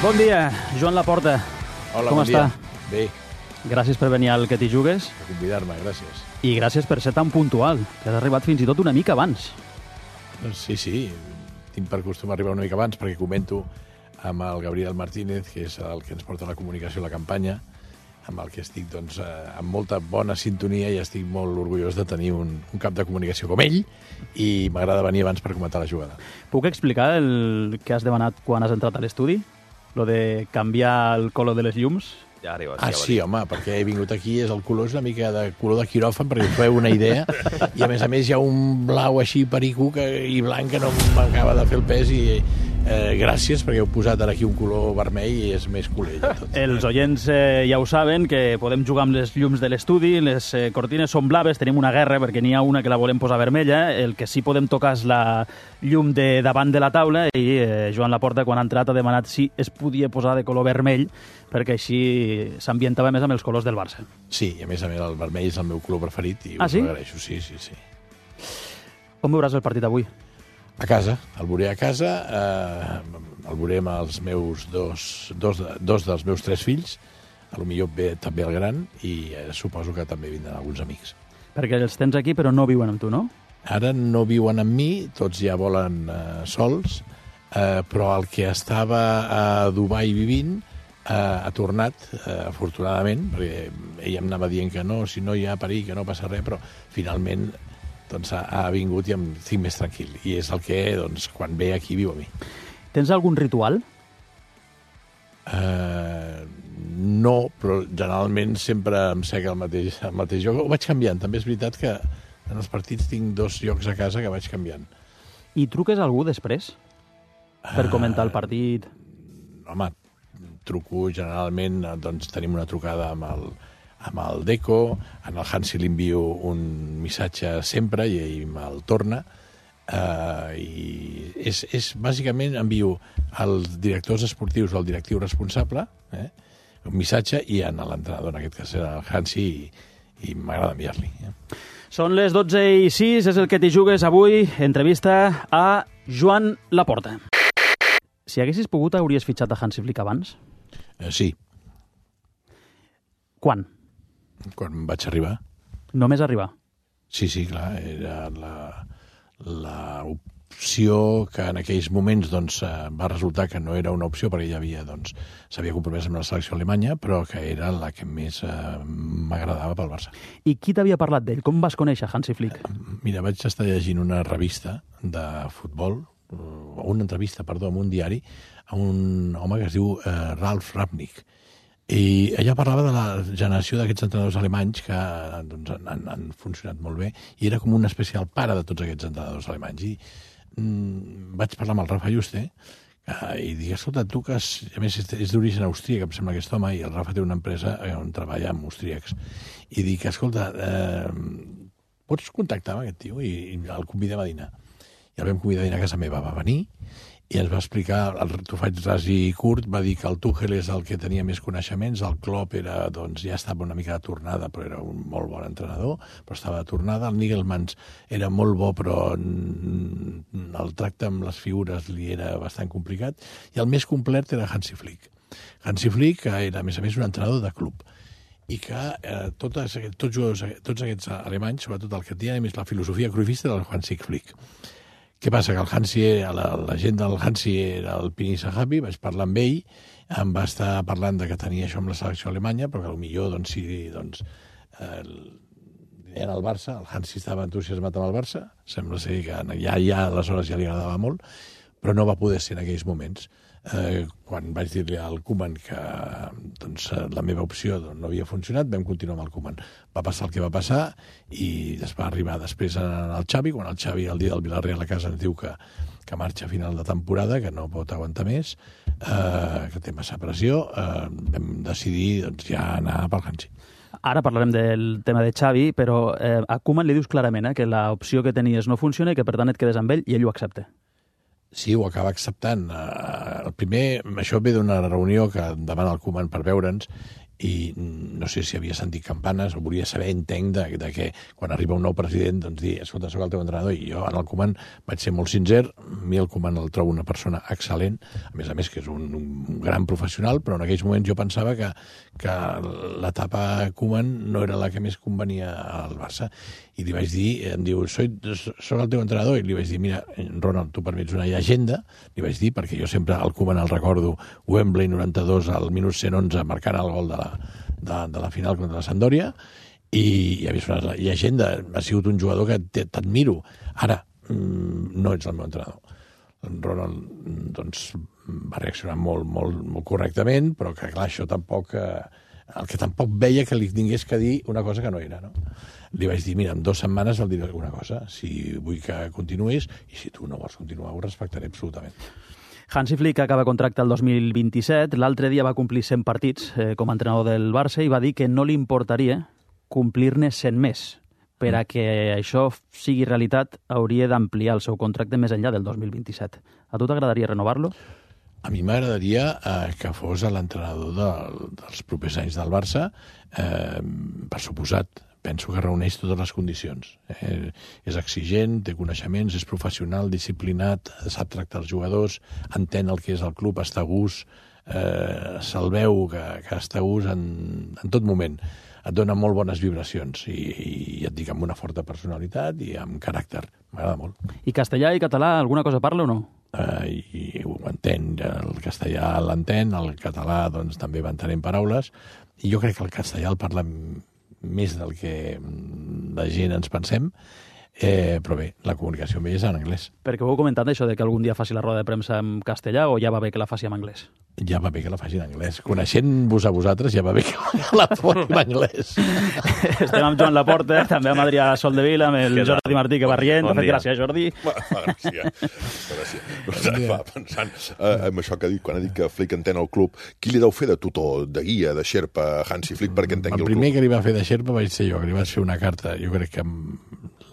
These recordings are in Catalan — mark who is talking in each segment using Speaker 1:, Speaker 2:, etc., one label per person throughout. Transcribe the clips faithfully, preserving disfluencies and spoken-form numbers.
Speaker 1: Bon dia, Joan Laporta.
Speaker 2: Hola,
Speaker 1: Com
Speaker 2: bon
Speaker 1: està?
Speaker 2: dia. Bé,
Speaker 1: Gràcies per venir al Que t'hi jugues
Speaker 2: per convidar-me, gràcies.
Speaker 1: i gràcies per ser tan puntual, que has arribat fins i tot una mica abans.
Speaker 2: Doncs sí, sí, tinc per costum arribar una mica abans perquè comento amb el Gabriel Martínez, que és el que ens porta la comunicació a la campanya, amb el que estic doncs, eh, amb molta bona sintonia i estic molt orgullós de tenir un, un cap de comunicació com ell i m'agrada venir abans per comentar la jugada.
Speaker 1: Puc explicar el que has demanat quan has entrat a l'estudi? Lo de canviar el color de les llums?
Speaker 3: Ja arribes,
Speaker 2: Ah,
Speaker 3: ja
Speaker 2: sí, home, perquè he vingut aquí, és el color és una mica de color de quiròfan, perquè us feu una idea, i a més a més hi ha un blau així perico que, i blanc que no m'acaba de fer el pes, i eh, gràcies, perquè heu posat ara aquí un color vermell i és més colell. Tot.
Speaker 1: Els oients eh, ja ho saben, que podem jugar amb les llums de l'estudi, les eh, cortines són blaves, tenim una guerra perquè n'hi ha una que la volem posar vermella, el que sí podem tocar és la llum de davant de la taula i eh, Joan Laporta, quan ha entrat, ha demanat si es podia posar de color vermell, perquè així s'ambientava més amb els colors del Barça.
Speaker 2: Sí, i a més a més el vermell és el meu color preferit i
Speaker 1: Ah,
Speaker 2: us
Speaker 1: sí?
Speaker 2: ho agraeixo, sí, sí, sí.
Speaker 1: Com veuràs el partit avui?
Speaker 2: A casa, el veuré a casa, eh, el veuré amb els meus dos, dos, dos dels meus tres fills, a lo millor ve també el gran, i eh, suposo que també vindran alguns amics.
Speaker 1: Perquè els tens aquí però no viuen amb tu, no?
Speaker 2: Ara no viuen amb mi, tots ja volen eh, sols, eh, però el que estava a Dubai vivint eh, ha tornat, eh, afortunadament, perquè ell em anava dient que no, si no hi ha perill, que no passa res, però finalment doncs, ha, ha vingut i em tinc més tranquil. I és el que, doncs, quan ve aquí, viu a mi.
Speaker 1: Tens algun ritual?
Speaker 2: Eh, no, però generalment sempre em sec el mateix, el mateix joc. Ho vaig canviant. També és veritat que en els partits tinc dos llocs a casa que vaig canviant.
Speaker 1: I truques a algú després? Per comentar el partit?
Speaker 2: Home, truco generalment, doncs tenim una trucada amb el, amb el Deco, en el Hansi li envio un missatge sempre i ell me'l torna, uh, i és, és bàsicament envio als directors esportius o al directiu responsable eh, un missatge i en l'entrenador, en aquest cas era el Hansi, i, i m'agrada enviar-li. Eh.
Speaker 1: Són les dotze i sis, és el Que t'hi jugues avui, entrevista a Joan Laporta. Si haguessis pogut, hauries fitxat a Hansi Flick abans?
Speaker 2: Eh, sí,
Speaker 1: Quan?
Speaker 2: quan vaig arribar.
Speaker 1: Només arribar.
Speaker 2: Sí, sí, clar, era la, la opció que en aquells moments doncs, eh, va resultar que no era una opció perquè ja havia, doncs, s'havia compromès amb la selecció alemanya, però que era la que més eh, m'agradava pel Barça.
Speaker 1: I qui t'havia parlat d'ell? Com vas conèixer Hansi Flick?
Speaker 2: Mira, vaig estar llegint una revista de futbol, o una entrevista, perdó, en un diari, a un home que es diu eh, Ralf Rangnick. I ella parlava de la generació d'aquests entrenadors alemanys que doncs, han, han funcionat molt bé i era com un especial pare de tots aquests entrenadors alemanys. I mm, vaig parlar amb el Rafa Juste eh, i dic, escolta, tu que és, a més és, és d'origen austríac, em sembla aquest home, i el Rafa té una empresa on treballa amb austríacs. I dic, escolta, eh, pots contactar amb aquest tio? I, i el convidem a dinar. I el vam convidar a dinar a casa meva, va venir i ens va explicar, el t'ho faig ras i curt, va dir que el Tuchel és el que tenia més coneixements, el Klopp era, doncs, ja estava una mica de tornada, però era un molt bon entrenador, però estava de tornada, el Niggelmans era molt bo, però el tracte amb les figures li era bastant complicat, i el més complet era Hansi Flick. Hansi Flick era, a més a més, un entrenador de club, i que eh, totes, tots, jugadors, tots aquests alemanys, sobretot el que tenia més la filosofia cruyffista del Hansi Flick. Què passa? Que el Hansi, la, la gent del Hansi era el Pini Sahabi, vaig parlar amb ell, em va estar parlant de que tenia això amb la selecció alemanya, però que potser doncs, si doncs, eh, era el Barça, el Hansi estava entusiasmat amb el Barça, sembla ser que ja, ja aleshores ja li agradava molt, però no va poder ser en aquells moments. Eh, quan vaig dir-li al Koeman que doncs, la meva opció doncs, no havia funcionat, vam continuar amb el Koeman. Va passar el que va passar i es va arribar després al Xavi, quan el Xavi el dia del Villarreal a casa ens diu que, que marxa a final de temporada, que no pot aguantar més, eh, que té massa pressió, eh, vam decidir doncs, ja anar pel Hansi.
Speaker 1: Ara parlarem del tema de Xavi, però eh, a Koeman li dius clarament eh, que l'opció que tenies no funciona i que per tant et quedes amb ell i ell ho accepta.
Speaker 2: Sí, ho acaba acceptant. El primer, això ve d'una reunió que demana el Koeman per veure'ns i no sé si havia sentit campanes o volia saber, entenc, de, de que quan arriba un nou president, doncs dir, escolta, soc el teu entrenador, i jo en el Koeman vaig ser molt sincer, a mi el Koeman el trobo una persona excel·lent, a més a més que és un, un gran professional, però en aquells moments jo pensava que, que l'etapa Koeman no era la que més convenia al Barça, i li vaig dir, em diu, soy, soc el teu entrenador, i li vaig dir, mira, Ronald, tu per mi ets una llegenda, li vaig dir, perquè jo sempre el Koeman el recordo, Wembley noranta-dos, al minut cent onze, marcant el gol de la, de, de la final contra la Sampdoria, i, i a més una llegenda, ha sigut un jugador que t'admiro. Ara, no ets el meu entrenador. En Ronald, doncs, va reaccionar molt, molt, molt correctament, però que, clar, això tampoc... El que tampoc veia que li tingués que dir una cosa que no era, no? Li vaig dir, mira, en dues setmanes el diré alguna cosa, si vull que continuïs, i si tu no vols continuar, ho respectaré absolutament.
Speaker 1: Hansi Flick acaba contracte el dos mil vint-i-set, l'altre dia va complir cent partits eh, com a entrenador del Barça i va dir que no li importaria complir-ne cent més. Per a que això sigui realitat, hauria d'ampliar el seu contracte més enllà del dos mil vint-i-set. A tu t'agradaria renovar-lo?
Speaker 2: A mi m'agradaria eh, que fos l'entrenador de, dels propers anys del Barça, eh, per suposat. Penso que reuneix totes les condicions. Eh, és exigent, té coneixements, és professional, disciplinat, sap tractar els jugadors, entén el que és el club, està a gust, eh, se'l veu que, que està a gust en, en tot moment. Et dona molt bones vibracions i, i et dic, amb una forta personalitat i amb caràcter. M'agrada molt.
Speaker 1: I castellà i català, alguna cosa parla o no?
Speaker 2: Uh, i ho entén, el castellà l'entén, el català doncs, també va entenent paraules, i jo crec que el castellà el parla més del que la gent ens pensem, eh, però bé, la comunicació amb ell és en anglès.
Speaker 1: Perquè ho heu comentat, això de que algun dia faci la roda de premsa en castellà, o ja va bé que la faci en anglès?
Speaker 2: Ja va bé que la faci en anglès. Coneixent-vos a vosaltres, ja va bé que la faci en anglès.
Speaker 1: Estem amb Joan Laporta, també amb Adrià Soldevila, amb el Jordi Martí, que va rient. Bon gràcies, Jordi.
Speaker 3: Fa gràcia. Fa gràcia. No, va pensant eh, amb això que ha dit, quan ha dit que Flick entén el club, qui li deu fer de tutor, de guia, de xerpa a Hansi Flick perquè entengui el club?
Speaker 2: El primer que li va fer de xerpa vaig ser jo, que li vaig fer una carta, jo crec que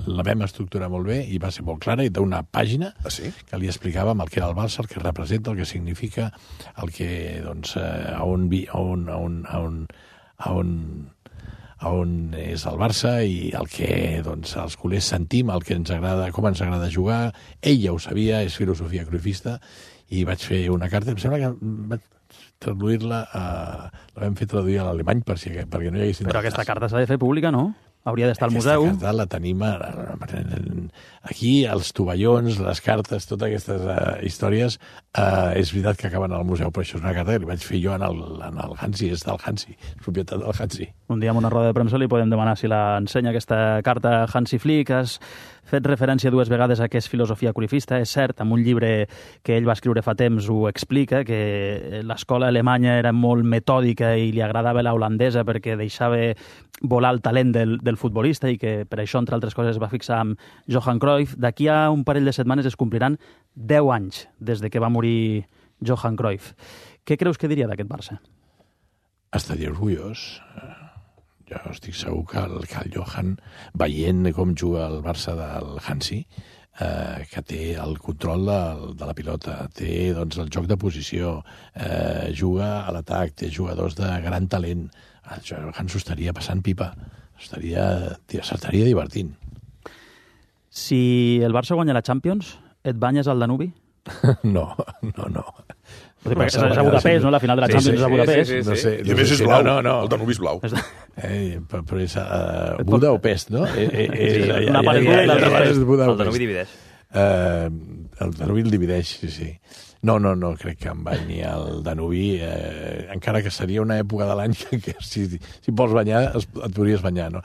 Speaker 2: la vam estructurar molt bé i va ser molt clara, i d'una pàgina
Speaker 3: ah, sí?
Speaker 2: que li explicàvem el que era el Barça, el que representa, el que significa, el que, doncs, eh, a on, vi, a on, a on, a on, a on, a on és el Barça i el que, doncs, els culers sentim, el que ens agrada, com ens agrada jugar. Ell ja ho sabia, és filosofia cruifista, i vaig fer una carta, em sembla que vaig traduir-la, a, la vam fer traduir a l'alemany per si, perquè no hi haguessin...
Speaker 1: Però aquesta carta s'ha de fer pública, no? Hauria d'estar al museu.
Speaker 2: Aquesta carta la tenim aquí, els tovallons, les cartes, totes aquestes uh, històries, uh, és veritat que acaben al museu, però això és una carta que li vaig fer jo en el, en el Hansi, és del Hansi, és propietat del Hansi.
Speaker 1: Un dia en una roda de premsa li podem demanar si la ensenya aquesta carta Hansi Flick. Has fet referència dues vegades a que és filosofia cruifista. És cert, en un llibre que ell va escriure fa temps ho explica, que l'escola alemanya era molt metòdica i li agradava la holandesa perquè deixava volar el talent del, del futbolista, i que per això, entre altres coses, es va fixar amb Johan Cruyff. D'aquí a un parell de setmanes es compliran deu anys des de que va morir Johan Cruyff. Què creus que diria d'aquest Barça?
Speaker 2: Estaria orgullós. Jo estic segur que el, que el Johan, veient com juga el Barça del Hansi, eh, que té el control de, de la pilota, té doncs, el joc de posició, eh, juga a l'atac, té jugadors de gran talent, el Johan s'ho estaria passant pipa, s'estaria divertint.
Speaker 1: Si el Barça guanya la Champions, et banyes al Danubi?
Speaker 2: No, no, no.
Speaker 1: Perquè és a Budapest, no? La final de la Champions és a Budapest.
Speaker 3: Sí, sí, sí, sí.
Speaker 2: No sé,
Speaker 3: I a més és blau,
Speaker 2: no, no.
Speaker 3: El Danubi és blau.
Speaker 2: Eh, però, però és uh, Buda o Pest, no? Eh, eh, eh,
Speaker 1: sí, una part és Buda i l'altra
Speaker 2: és Buda o
Speaker 4: El Danubi divideix.
Speaker 2: Uh, el Danubi el divideix, sí, sí. No, no, no crec que em banyi el Danubi, eh, encara que seria una època de l'any que, que si, si vols banyar es, et podries banyar, no?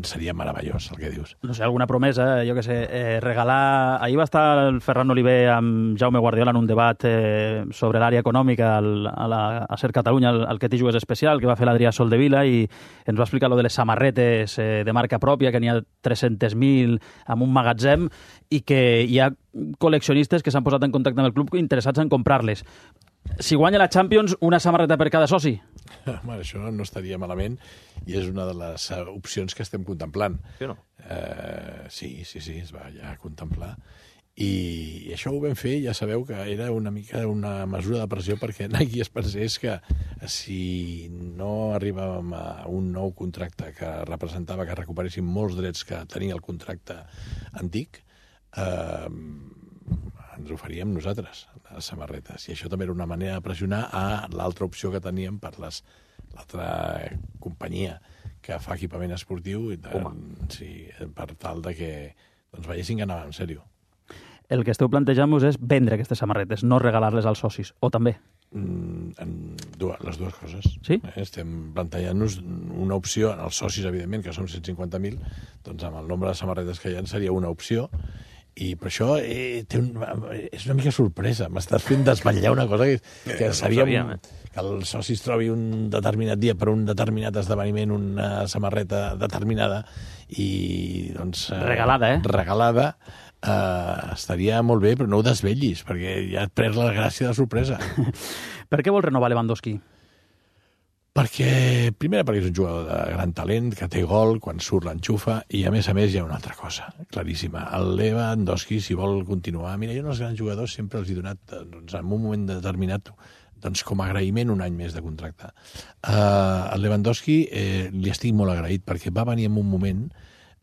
Speaker 2: Seria meravellós el que dius.
Speaker 1: No sé, alguna promesa, jo què sé, eh, regalar... Ahir va estar el Ferran Oliver amb Jaume Guardiola en un debat eh, sobre l'àrea econòmica al, a, la, a Ser Catalunya, el, el que t'hi jugues especial, que va fer l'Adrià Soldevila, i ens va explicar lo de les samarretes eh, de marca pròpia, que n'hi ha tres-cents mil en un magatzem, i que hi ha col·leccionistes que s'han posat en contacte amb el club interessats en comprar-les. Si guanya la Champions, una samarreta per cada soci?
Speaker 2: Home, això no estaria malament i és una de les opcions que estem contemplant.
Speaker 4: Sí o no?
Speaker 2: Eh, sí, sí, sí, es va ja contemplar. I això ho vam fer, ja sabeu que era una mica una mesura de pressió perquè Nike es pensés que si no arribàvem a un nou contracte que representava que recuperéssim molts drets que tenia el contracte antic, eh, ens ho faríem nosaltres, les samarretes. I això també era una manera de pressionar a l'altra opció que teníem per les, l'altra companyia que fa equipament esportiu, i de, sí, per tal de que doncs, veiessin que anava en sèrio.
Speaker 1: El que esteu plantejant-vos és vendre aquestes samarretes, no regalar-les als socis, o també?
Speaker 2: Mm, en dues, les dues coses.
Speaker 1: Sí?
Speaker 2: Eh, estem plantejant-nos una opció, als socis, evidentment, que som cent cinquanta mil, doncs amb el nombre de samarretes que hi ha seria una opció, i per això eh, té un, és una mica sorpresa. M'estàs fent desvetllar una cosa que, que eh, seria no un, que els socis trobi un determinat dia per un determinat esdeveniment una samarreta determinada i doncs... Eh,
Speaker 1: regalada, eh?
Speaker 2: Regalada. Uh, estaria molt bé, però no ho desvetllis, perquè ja et perd la gràcia de sorpresa.
Speaker 1: Per què vol renovar Lewandowski?
Speaker 2: Perquè, primer, perquè és un jugador de gran talent, que té gol, quan surt l'enxufa, i a més a més hi ha una altra cosa, claríssima. El Lewandowski, si vol continuar... Mira, jo als grans jugadors sempre els he donat, doncs, en un moment determinat, doncs, com a agraïment, un any més de contracte. Uh, el Lewandowski eh, li estic molt agraït, perquè va venir en un moment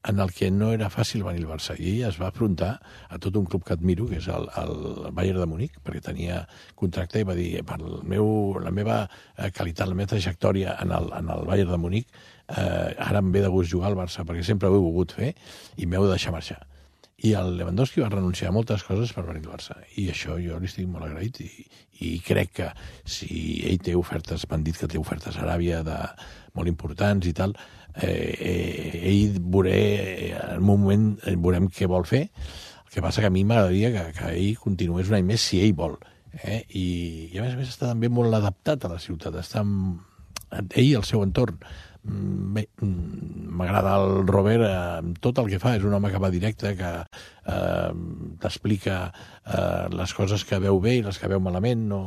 Speaker 2: en el que no era fàcil venir al Barça, i ell es va afrontar a tot un club que admiro, que és el, el Bayern de Múnich, perquè tenia contracte i va dir, per el meu, la meva qualitat, la meva trajectòria en el, en el Bayern de Múnich, eh, ara em ve de gust jugar al Barça, perquè sempre ho he volgut fer, i m'heu de deixar marxar. I el Lewandowski va renunciar a moltes coses per venir al Barça, i això jo li estic molt agraït, i, i crec que si ell té ofertes, m'han dit que té ofertes a Aràbia de, molt importants i tal, eh, eh, ell veuré, en un moment veurem què vol fer. El que passa que a mi m'agradaria que, que ell continués un any més si ell vol. Eh? I, I a més a més està també molt adaptat a la ciutat, està amb ell i el seu entorn. Bé, m'agrada el Robert amb tot el que fa, és un home que va directe, que eh, t'explica eh, les coses que veu bé i les que veu malament, no...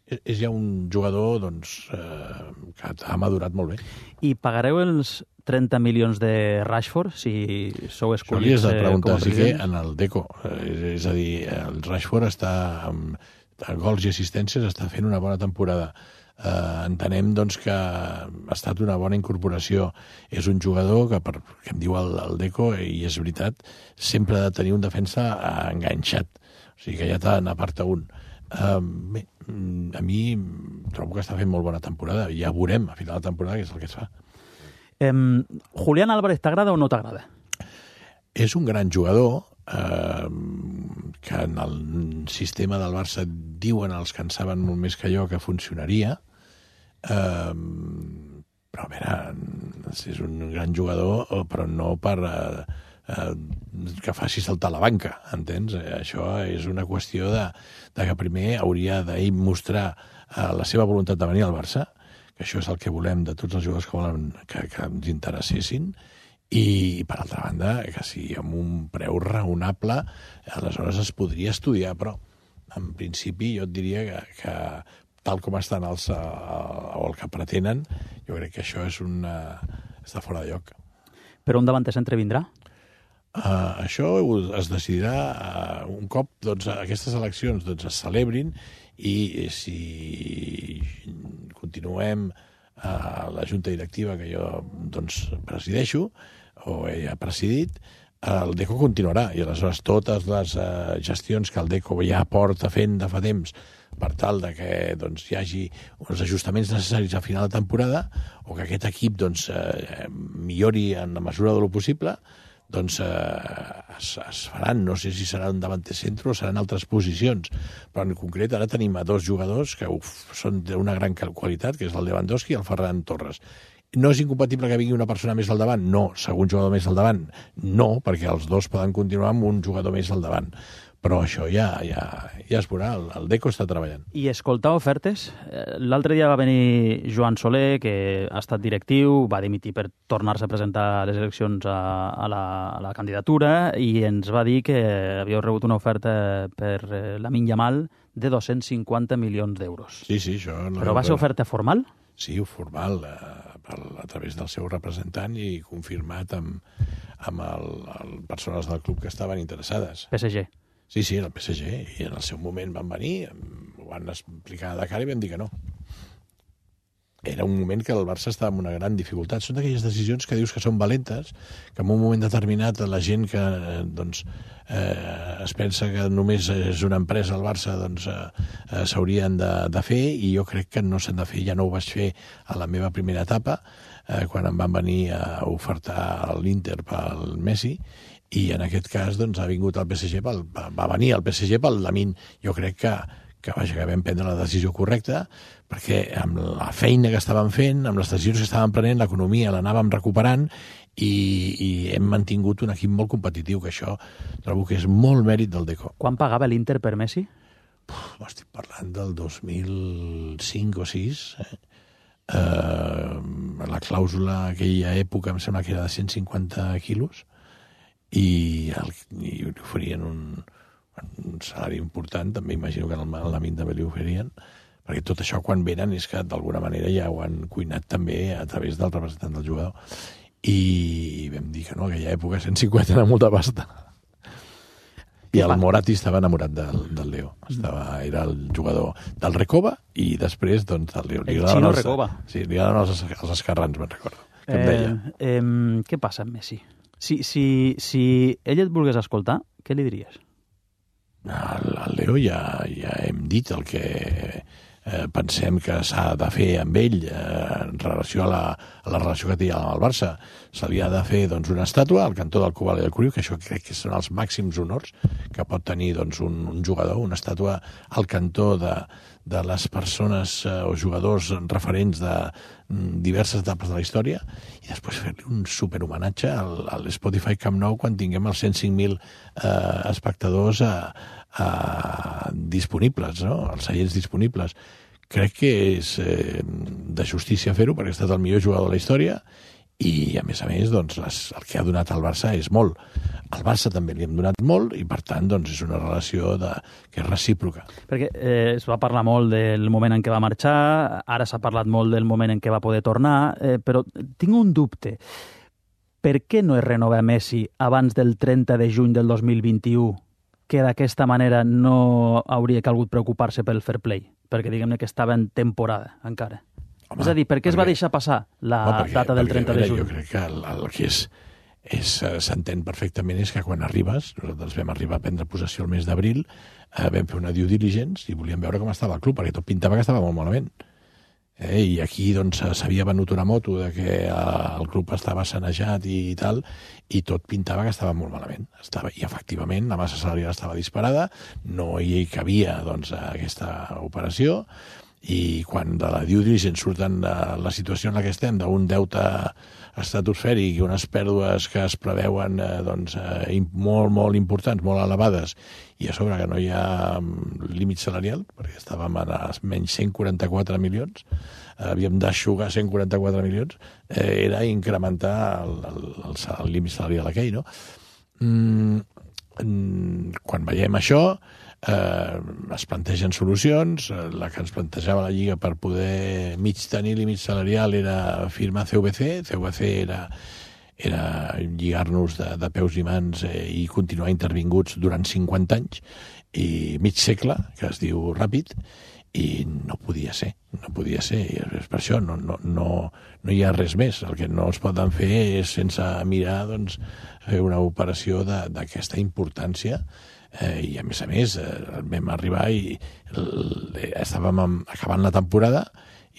Speaker 2: és ja un jugador doncs, eh, que ha madurat molt bé.
Speaker 1: I pagareu els trenta milions de Rashford si sou escollits?
Speaker 2: Això li has de preguntar, sí que en el Deco. Eh, és a dir, el Rashford està amb gols i assistències, està fent una bona temporada. Eh, entenem doncs, que ha estat una bona incorporació. És un jugador que, per, que em diu el, el Deco, i és veritat, sempre ha de tenir un defensa enganxat. O sigui que ja t'en aparta un. Uh, bé, a mi trobo que està fent molt bona temporada. Ja veurem a final de temporada què és el que es fa.
Speaker 1: Um, Julián Álvarez t'agrada o no t'agrada?
Speaker 2: És un gran jugador eh, que en el sistema del Barça diuen els que en saben molt més que jo que funcionaria, eh, però a veure, és un gran jugador, però no per eh, eh, que faci saltar la banca, entens? Això és una qüestió de, de que primer hauria d'ell mostrar eh, la seva voluntat de venir al Barça, que això és el que volem de tots els jugadors que volen que, que ens interessessin, i per altra banda, que si amb un preu raonable aleshores es podria estudiar, però en principi jo et diria que, que tal com estan els, o el que pretenen, jo crec que això és una, està fora de lloc.
Speaker 1: Però un davanter centre vindrà?
Speaker 2: Uh, això es decidirà uh, un cop doncs, aquestes eleccions doncs, es celebrin, i si continuem a la junta directiva que jo doncs, presideixo o he presidit, el Deco continuarà, i aleshores totes les uh, gestions que el Deco ja porta fent de fa temps per tal de que doncs, hi hagi uns ajustaments necessaris a final de temporada, o que aquest equip doncs, uh, millori en la mesura de lo possible, doncs eh, es, es faran. No sé si serà un davanter centre o seran altres posicions, però en concret ara tenim a dos jugadors que uf, són d'una gran qualitat, que és el Lewandowski i el Ferran Torres. No és incompatible que vingui una persona més al davant? No. Segon jugador més al davant? No, perquè els dos poden continuar amb un jugador més al davant. Però això ja, ja, ja es veurà, el, el Deco està treballant.
Speaker 1: I escoltar ofertes? L'altre dia va venir Joan Soler, que ha estat directiu, va dimitir per tornar-se a presentar a les eleccions a, a, la, a la candidatura, i ens va dir que havíeu rebut una oferta per Lamine Yamal de dos-cents cinquanta milions d'euros.
Speaker 2: Sí, sí, això... No.
Speaker 1: Però va ser oferta formal?
Speaker 2: Sí, formal, eh, per, a través del seu representant, i confirmat amb, amb el, el persones del club que estaven interessades.
Speaker 1: P S G.
Speaker 2: Sí, sí, el P S G, i en el seu moment van venir, ho van explicar de cara i vam dir que no. Era un moment que el Barça estava en una gran dificultat. Són d'aquelles decisions que dius que són valentes, que en un moment determinat la gent que doncs, eh, es pensa que només és una empresa al Barça doncs, eh, s'haurien de, de fer, i jo crec que no s'han de fer. Ja no ho vaig fer a la meva primera etapa, eh, quan em van venir a ofertar l'Inter pel Messi, i en aquest cas doncs, ha vingut el P S G pel, va venir el P S G pel Lamine. Jo crec que que, vaja, que vam prendre la decisió correcta, perquè amb la feina que estàvem fent, amb les decisions que estàvem prenent, l'economia l'anàvem recuperant, i, i hem mantingut un equip molt competitiu, que això trobo que és molt mèrit del Deco.
Speaker 1: Quan pagava l'Inter per Messi?
Speaker 2: Uf, estic parlant del dos mil cinc o sis. Eh? Uh, la clàusula aquella època em sembla que era de cent cinquanta quilos, i, el, i oferien un... un salari important, també imagino que en el Lamine també li oferien, perquè tot això quan venen és que d'alguna manera ja ho han cuinat també a través del representant del jugador, i vam dir que no, aquella època cent cinquanta era molta pasta. I el Moratti estava enamorat del, del Leo, estava, era el jugador del Recoba, i després doncs del Leo.
Speaker 1: El xino Recoba.
Speaker 2: Sí, li agraden els, els esquerrans, me'n recordo, que em
Speaker 1: eh,
Speaker 2: deia.
Speaker 1: Eh, què passa amb Messi? Si, si, si ell et volgués escoltar, què li diries?
Speaker 2: Al, al Leo ja, ja hem dit el que eh, pensem que s'ha de fer amb ell eh, en relació a la, a la relació que té amb el Barça. Se li ha de fer doncs, una estàtua al cantó del Cubal i del Curiu, que això crec que són els màxims honors que pot tenir doncs, un, un jugador, una estàtua al cantó de, de les persones eh, o jugadors referents de mm, diverses etapes de la història, i després fer-li un superhomenatge al, al Spotify Camp Nou quan tinguem els cent cinc mil eh, espectadors a, a, disponibles, no? Els seients disponibles. Crec que és eh, de justícia fer-ho, perquè ha estat el millor jugador de la història, i a més a més doncs, les, el que ha donat al Barça és molt. Al Barça també li hem donat molt, i per tant doncs, és una relació de, que és recíproca.
Speaker 1: Perquè eh, es va parlar molt del moment en què va marxar, ara s'ha parlat molt del moment en què va poder tornar, eh, però tinc un dubte. Per què no es renova Messi abans del trenta de juny del dos mil vint-i-u, que d'aquesta manera no hauria calgut preocupar-se pel fair play? Perquè diguem-ne que estava en temporada encara. Home, és a dir, per què es va deixar passar la home, perquè, data del trenta de juny?
Speaker 2: Jo crec que el, el que és, és s'entén perfectament és que quan arribes, nosaltres vam arribar a prendre possessió el mes d'abril, eh, vam fer una due diligence i volíem veure com estava el club, perquè tot pintava que estava molt malament. Eh, I aquí doncs s'havia venut una moto de que eh, el club estava sanejat i, i tal, i tot pintava que estava molt malament. Estava, I efectivament la massa salarial estava disparada, no hi cabia doncs, aquesta operació, i quan de la due diligence surten de la situació en la que estem, d'un deute estratosfèric i unes pèrdues que es preveuen eh, doncs, eh, molt, molt importants, molt elevades, i a sobre que no hi ha límit salarial, perquè estàvem a menys cent quaranta-quatre milions, eh, havíem d'aixugar cent quaranta-quatre milions, eh, era incrementar el, el, el, el límit salarial aquell, no? Mm, quan veiem això, Eh, es plantegen solucions. La que ens plantejava la Lliga per poder mig tenir límit salarial era firmar C V C. C V C era, era lligar-nos de, de peus i mans eh, i continuar intervinguts durant cinquanta anys i mig segle, que es diu ràpid, i no podia ser, no podia ser, i és per això no, no, no, no hi ha res més. El que no es poden fer és, sense mirar, doncs, fer una operació d'aquesta importància. Eh, i a més a més eh, vam arribar i el, estàvem acabant la temporada,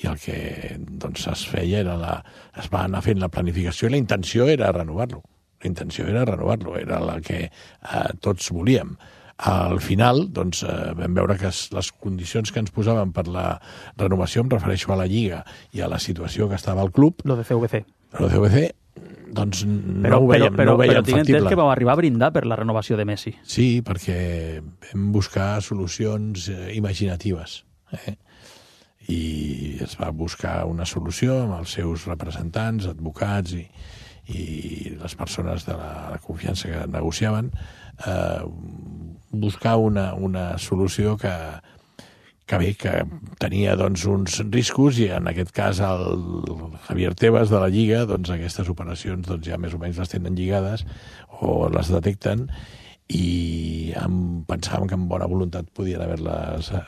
Speaker 2: i el que doncs, es feia era la, es va anar fent la planificació, i la intenció era renovar-lo la intenció era renovar-lo, era la que eh, tots volíem. Al final doncs, eh, vam veure que les condicions que ens posaven per la renovació, em refereixo a la Lliga i a la situació que estava al club,
Speaker 1: lo de C V C
Speaker 2: lo de C V C doncs no
Speaker 1: però,
Speaker 2: ho veiem,
Speaker 1: però,
Speaker 2: no ho veiem
Speaker 1: però tinc
Speaker 2: factible.
Speaker 1: entès que vau arribar a brindar per la renovació de Messi.
Speaker 2: Sí, perquè vam buscar solucions eh, imaginatives. Eh? I es va buscar una solució amb els seus representants, advocats i, i les persones de la, la confiança que negociaven, eh, buscar una, una solució que, que bé, que tenia doncs, uns riscos, i en aquest cas el Javier Tebas de la Lliga, doncs aquestes operacions doncs, ja més o menys les tenen lligades o les detecten, i amb, pensàvem que amb bona voluntat podien haver-les uh,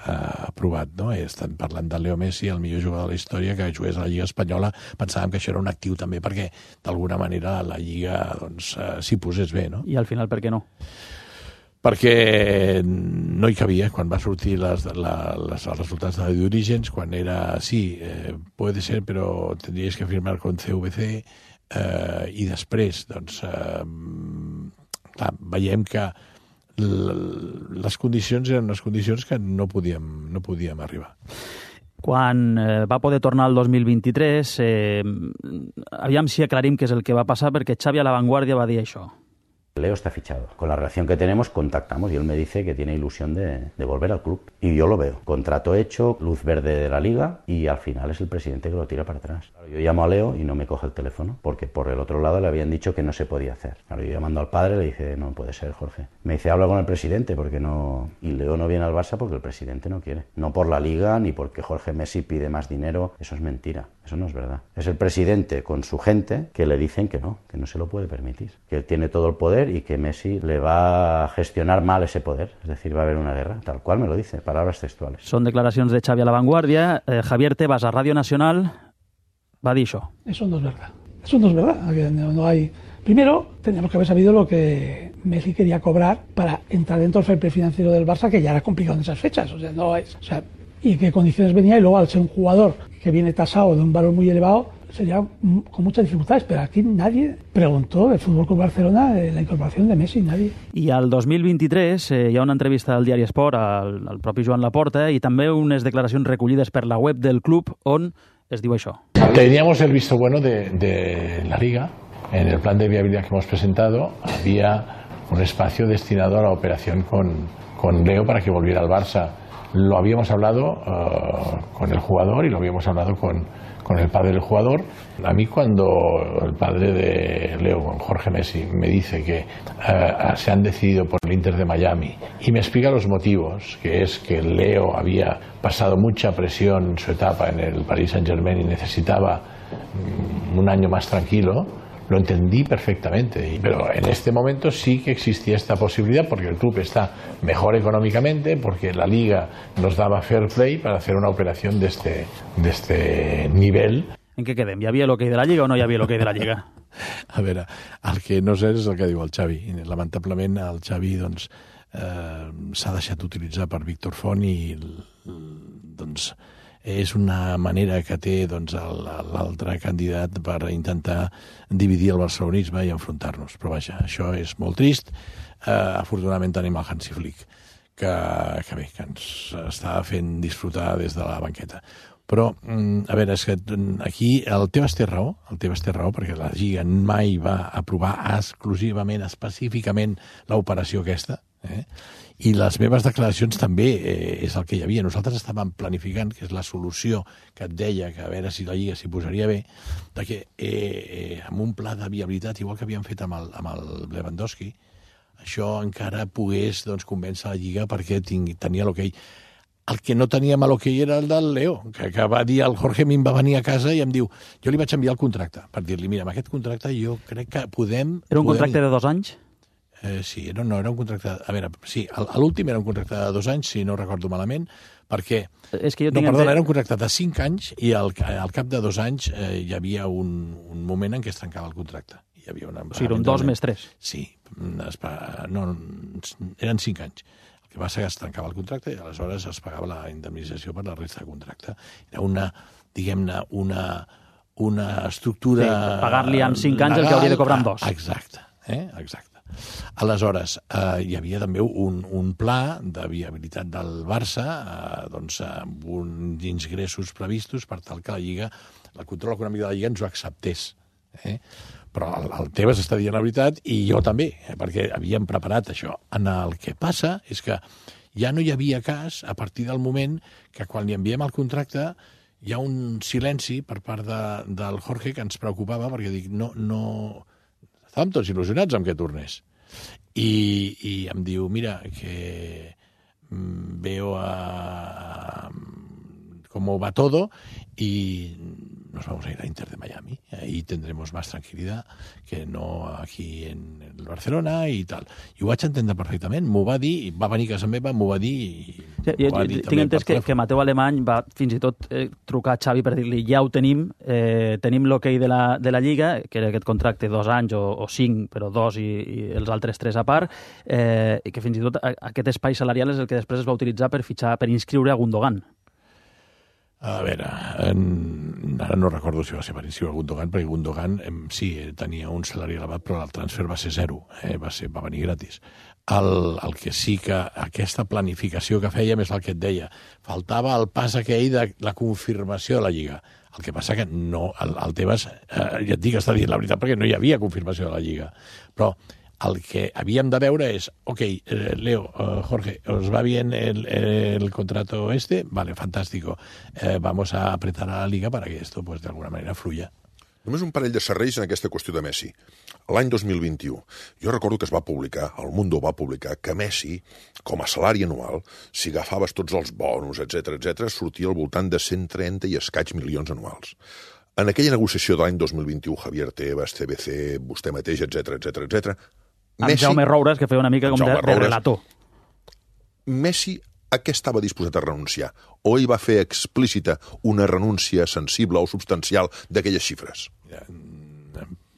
Speaker 2: aprovat, no? Estan parlant de Leo Messi, el millor jugador de la història, que jugués a la Lliga Espanyola. Pensàvem que això era un actiu també perquè, d'alguna manera, la Lliga doncs, uh, s'hi posés bé, no?
Speaker 1: I al final, per què no?
Speaker 2: Perquè no hi cabia quan va sortir les, la, les, els resultats de d'orígens, quan era, sí, eh, puede ser, però tendries que firmar con C V C, eh, i després, doncs, eh, clar, veiem que les condicions eren unes condicions que no podíem, no podíem arribar.
Speaker 1: Quan eh, va poder tornar el dos mil vint-i-tres, eh, aviam si aclarim què és el que va passar, perquè Xavi a La Vanguardia va dir això.
Speaker 4: Leo está fichado. Con la relación que tenemos contactamos y él me dice que tiene ilusión de, de volver al club. Y yo lo veo. Contrato hecho, luz verde de la liga y al final es el presidente que lo tira para atrás. Claro, yo llamo a Leo y no me coge el teléfono porque por el otro lado le habían dicho que no se podía hacer. Claro, yo llamando al padre le dije, no puede ser, Jorge. Me dice, habla con el presidente porque no... Y Leo no viene al Barça porque el presidente no quiere. No por la liga ni porque Jorge Messi pide más dinero. Eso es mentira. Eso no es verdad. Es el presidente con su gente que le dicen que no, que no se lo puede permitir. Que él tiene todo el poder y que Messi le va a gestionar mal ese poder, es decir, va a haber una guerra, tal cual me lo dice, palabras textuales.
Speaker 1: Son declaracions de Xavi a La Vanguardia. Eh, Javier Tebas a Radio Nacional va a dir això.
Speaker 5: Eso no es verdad, eso no es verdad, no, no hay... Primero, teníamos que haber sabido lo que Messi quería cobrar para entrar dentro del fair play financiero del Barça, que ya era complicado en esas fechas, o sea, no es... O sea, y qué condiciones venía, y luego al ser un jugador que viene tasado de un valor muy elevado, sería con muchas dificultades, pero aquí nadie preguntó del Fútbol Club Barcelona de la incorporación de Messi, nadie.
Speaker 1: I al dos mil vint-i-tres eh, hi ha una entrevista al diari Esport al, al propi Joan Laporta i també unes declaracions recollides per la web del club on es diu això.
Speaker 2: Teníamos el visto bueno de, de la Liga. En el plan de viabilidad que hemos presentado había un espacio destinado a la operación con, con Leo para que volviera al Barça. Lo habíamos hablado uh, con el jugador y lo habíamos hablado con, con el padre del jugador. A mí cuando el padre de Leo, Jorge Messi, me dice que uh, se han decidido por el Inter de Miami y me explica los motivos, que es que Leo había pasado mucha presión en su etapa en el Paris Saint-Germain y necesitaba um, un año más tranquilo, lo entendí perfectamente, pero en este momento sí que existía esta posibilidad porque el club está mejor económicamente, porque la Liga nos daba fair play para hacer una operación de este, de este nivel.
Speaker 1: En què quedem? Hi havia l'hoquei de la Lliga o no hi havia l'hoquei de la Lliga?
Speaker 2: A veure, el que no sé és el que diu el Xavi. Lamentablement el Xavi doncs, eh, s'ha deixat utilitzar per Víctor Font i doncs, és una manera que té doncs, l'altre candidat per intentar dividir el barcelonisme i enfrontar-nos. Però vaja, això és molt trist. Uh, afortunadament tenim el Hansi Flick, que, que bé, que ens està fent disfrutar des de la banqueta. Però, a veure, és que aquí el Tebas té raó, el Tebas té raó, perquè la Lliga mai va aprovar exclusivament, específicament, l'operació aquesta, eh? I les meves declaracions també eh, és el que hi havia. Nosaltres estàvem planificant, que és la solució que et deia, que a veure si la Lliga s'hi posaria bé, de que eh, eh, amb un pla de viabilitat, igual que havíem fet amb el, amb el Lewandowski, això encara pogués doncs, convèncer la Lliga perquè tingui, tenia l'hoquei. El que no teníem a l'hoquei era el del Leo, que, que va dir, el Jorge a mi em va venir a casa i em diu, jo li vaig enviar el contracte, per dir-li, mira, amb aquest contracte jo crec que podem...
Speaker 1: Era un
Speaker 2: podem...
Speaker 1: contracte de dos anys?
Speaker 2: Eh, sí, no, no, era un contracte... A veure, sí, l'últim era un contracte de dos anys, si no recordo malament, perquè...
Speaker 1: És que jo
Speaker 2: no,
Speaker 1: tinc
Speaker 2: perdona,
Speaker 1: ente...
Speaker 2: era un contracte de cinc anys i al, al cap de dos anys eh, hi havia un, un moment en què es tancava el contracte. Hi havia una...
Speaker 1: O sigui, eren dos més tres.
Speaker 2: Sí, es, no, eren cinc anys. El que va ser que es tancava el contracte i aleshores es pagava la indemnització per la resta de contracte. Era una, diguem-ne, una, una estructura...
Speaker 1: Sí, pagar-li en cinc anys legal, el que hauria de cobrar en dos.
Speaker 2: Exacte, eh? Exacte. Aleshores, eh, hi havia també un, un pla de viabilitat del Barça, eh, doncs, amb uns ingressos previstos per tal que la Lliga, el control econòmic de la Lliga ens ho acceptés. Eh? Però el, el Tebas està dient la veritat i jo també, eh, perquè havíem preparat això. En el que passa és que ja no hi havia cas a partir del moment que quan li enviem el contracte hi ha un silenci per part de, del Jorge que ens preocupava perquè dic, no, no... Estàvem tots il·lusionats amb que tornés. I, i em diu, mira, que veo a cómo va todo y nos vamos a ir a Inter de Miami. Ahí tendremos más tranquilidad que no aquí en el Barcelona i tal. I ho vaig entendre perfectament, m'ho va dir, va venir a casa meva, m'ho va dir i
Speaker 1: sí, jo, va dir tinc entès que, que Mateu Alemany va fins i tot eh, trucar a Xavi per dir-li ja ho tenim, eh, tenim l'hoquei de, la, de la Lliga, que era aquest contracte dos anys o, o cinc, però dos i, i els altres tres a part, eh, i que fins i tot aquest espai salarial és el que després es va utilitzar per fitxar, per inscriure a Gundogan.
Speaker 2: A veure, en, ara no recordo si va ser per inscriure Gundogan, perquè Gundogan em, sí, tenia un salari elevat, però el transfer va ser zero, eh, va, ser, va venir gratis. El, el que sí que aquesta planificació que fèiem és el que et deia. Faltava el pas aquell de la confirmació de la Lliga. El que passa que no, el, el Tebas, eh, ja et dic, està dient la veritat, perquè no hi havia confirmació de la Lliga. Però el que havíem de veure és, ok, eh, Leo, eh, Jorge, ¿os va bien el, el contrato este? Vale, fantástico. Eh, vamos a apretar a la Liga para que esto, pues, de alguna manera, fluya.
Speaker 3: Només un parell de serrells en aquesta qüestió de Messi. L'any dos mil vint-i-u, jo recordo que es va publicar, el Mundo va publicar, que Messi, com a salari anual, si agafaves tots els bonus, etcètera, etcètera, sortia al voltant de cent trenta i escaig milions anuals. En aquella negociació de l'any dos mil vint-i-u, Javier Tebas, T B C, vostè mateix, etcètera, etcètera, etcètera,
Speaker 1: amb Jaume Roures, que feia una mica com de, de relator.
Speaker 3: Messi a què estava disposat a renunciar? O ell va fer explícita una renúncia sensible o substancial d'aquelles xifres?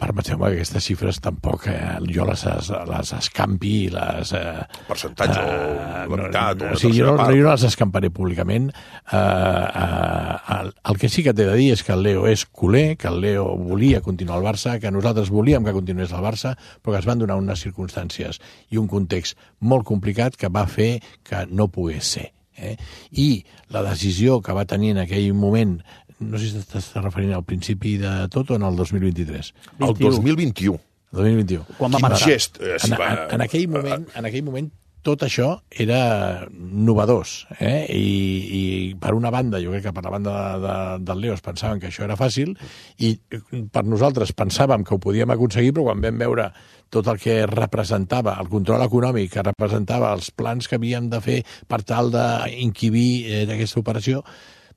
Speaker 2: Permeteu-me que aquestes xifres tampoc eh, jo les, les escampi i les... Eh,
Speaker 3: percentatge uh, o la meitat no,
Speaker 2: o una sí, jo, no, jo no les escamparé públicament. Uh, uh, el, el que sí que t'he de dir és que el Leo és culer, que el Leo volia continuar al Barça, que nosaltres volíem que continués al Barça, però que es van donar unes circumstàncies i un context molt complicat que va fer que no pogués ser. Eh? I la decisió que va tenir en aquell moment, no sé si t'estàs referint al principi de tot o en el dos mil vint-i-tres.
Speaker 3: El dos mil vint-i-u.
Speaker 2: El dos mil vint-i-u.
Speaker 1: Quan va
Speaker 3: Quin
Speaker 1: marxar?
Speaker 3: gest. Eh, si
Speaker 2: en,
Speaker 3: va...
Speaker 2: en, en, aquell moment, en aquell moment tot això era novedós. Eh? I, I per una banda, jo crec que per la banda de, de, del Leo es pensaven que això era fàcil i per nosaltres pensàvem que ho podíem aconseguir, però quan vam veure tot el que representava, el control econòmic que representava, els plans que havíem de fer per tal d'inquibir eh, aquesta operació,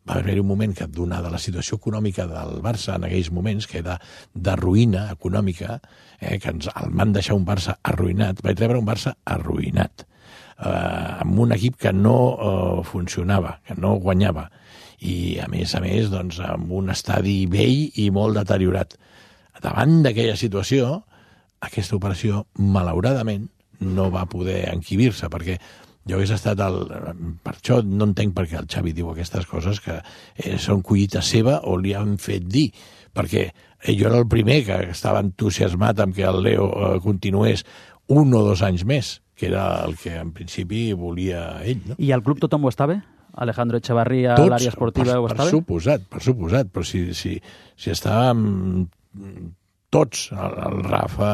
Speaker 2: va haver-hi un moment que, donada la situació econòmica del Barça en aquells moments, que era de ruïna econòmica, eh, que ens el van deixar un Barça arruïnat, vaig rebre un Barça arruïnat, eh, amb un equip que no eh, funcionava, que no guanyava, i a més a més doncs, amb un estadi vell i molt deteriorat. Davant d'aquella situació, aquesta operació, malauradament, no va poder enquibir-se, perquè jo hagués estat el... Per això no entenc per què el Xavi diu aquestes coses que eh, són collita seva o li han fet dir, perquè jo era el primer que estava entusiasmat amb que el Leo eh, continués un o dos anys més, que era el que en principi volia ell. No?
Speaker 1: I al club tothom ho estava? Alejandro Echevarría, a l'àrea esportiva,
Speaker 2: per,
Speaker 1: ho estava?
Speaker 2: Per suposat, per suposat, però si, si, si estàvem tots, el, el Rafa,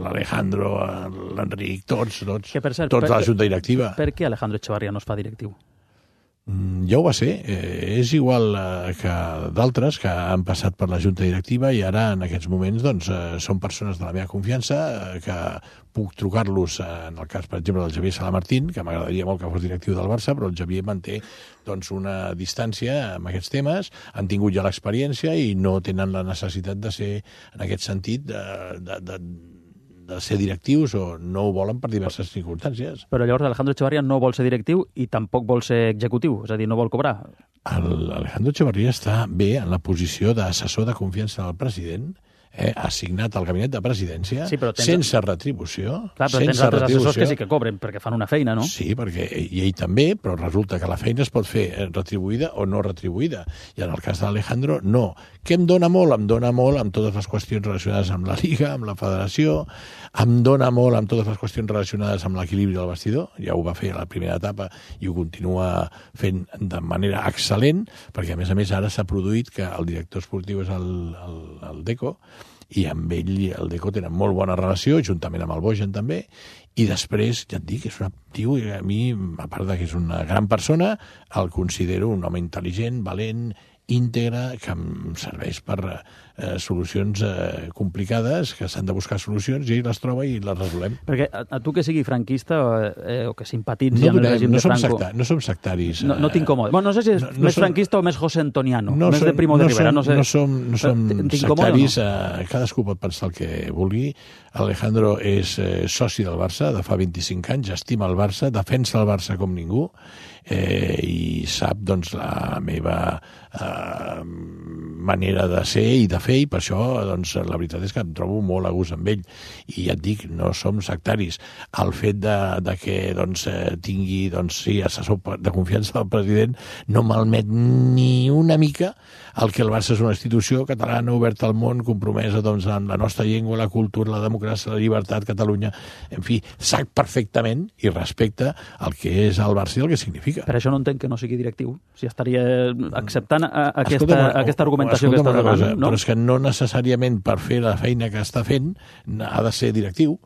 Speaker 2: l'Alejandro, l'Enric, tots, tots,
Speaker 1: que per cert,
Speaker 2: tots
Speaker 1: per,
Speaker 2: a la junta directiva.
Speaker 1: Per què Alejandro Echevarría no es fa directiu?
Speaker 2: Ja ho va ser. Eh, és igual eh, que d'altres que han passat per la junta directiva i ara, en aquests moments, doncs, eh, són persones de la meva confiança, eh, que puc trucar-los, eh, en el cas, per exemple, del Javier Salamartín, que m'agradaria molt que fos directiu del Barça, però el Javier manté doncs, una distància amb aquests temes, han tingut ja l'experiència i no tenen la necessitat de ser, en aquest sentit, de, de, de de ser directius o no ho volen per diverses circumstàncies.
Speaker 1: Però llavors Alejandro Echevarría no vol ser directiu i tampoc vol ser executiu, és a dir, no vol cobrar.
Speaker 2: Alejandro Echevarría està bé en la posició d'assessor de confiança del president, eh, assignat al gabinet de presidència,
Speaker 1: sí, tens...
Speaker 2: sense retribució.
Speaker 1: Clar, però tens altres assessors que sí que cobren perquè fan una feina, no?
Speaker 2: Sí, perquè i ell també, però resulta que la feina es pot fer retribuïda o no retribuïda. I en el cas d'Alejandro, no. Què em dona molt? Em dona molt amb totes les qüestions relacionades amb la Lliga, amb la Federació, em dona molt amb totes les qüestions relacionades amb l'equilibri del vestidor, ja ho va fer a la primera etapa i ho continua fent de manera excel·lent, perquè a més a més ara s'ha produït que el director esportiu és el, el, el Deco, i amb ell i el Deco tenen molt bona relació, juntament amb el Bojan també, i després, ja et dic, és un tio, a mi, a part de que és una gran persona, el considero un home intel·ligent, valent íntegra que em serveix per eh, solucions eh, complicades, que s'han de buscar solucions, i ell les troba i les resolem.
Speaker 1: Perquè a, a tu que sigui franquista eh, o que simpatitzi
Speaker 2: No,
Speaker 1: amb el
Speaker 2: donem,
Speaker 1: règim
Speaker 2: no,
Speaker 1: de
Speaker 2: som
Speaker 1: Franco...
Speaker 2: secta, no som sectaris.
Speaker 1: No, no t'incomoda. Bueno, no sé si és
Speaker 2: no, no
Speaker 1: més
Speaker 2: som,
Speaker 1: franquista o més José Antoniano,
Speaker 2: no
Speaker 1: més
Speaker 2: som,
Speaker 1: de Primo de
Speaker 2: no
Speaker 1: Rivera,
Speaker 2: som,
Speaker 1: no sé.
Speaker 2: No som, no som sectaris,
Speaker 1: no?
Speaker 2: eh, cadascú pot pensar el que vulgui. Alejandro és eh, soci del Barça de fa vint-i-cinc anys, estima el Barça, defensa el Barça com ningú, eh, i sap doncs, la meva eh, manera de ser i de fer, i per això doncs, la veritat és que em trobo molt a gust amb ell. I ja et dic, no som sectaris. El fet de, de que doncs, eh, tingui doncs, sí, assessor de confiança del president no malmet ni una mica el que el Barça és una institució catalana oberta al món, compromesa doncs, amb la nostra llengua, la cultura, la democràcia, la llibertat, Catalunya. En fi, sap perfectament i respecta el que és el Barça i el que significa.
Speaker 1: Per això no entenc que no sigui directiu. Si estaria acceptant a, a aquesta,
Speaker 2: Escolta'm,
Speaker 1: aquesta argumentació que estàs
Speaker 2: una
Speaker 1: donant.
Speaker 2: cosa,
Speaker 1: No?
Speaker 2: Però és que no necessàriament per fer la feina que està fent ha de ser directiu.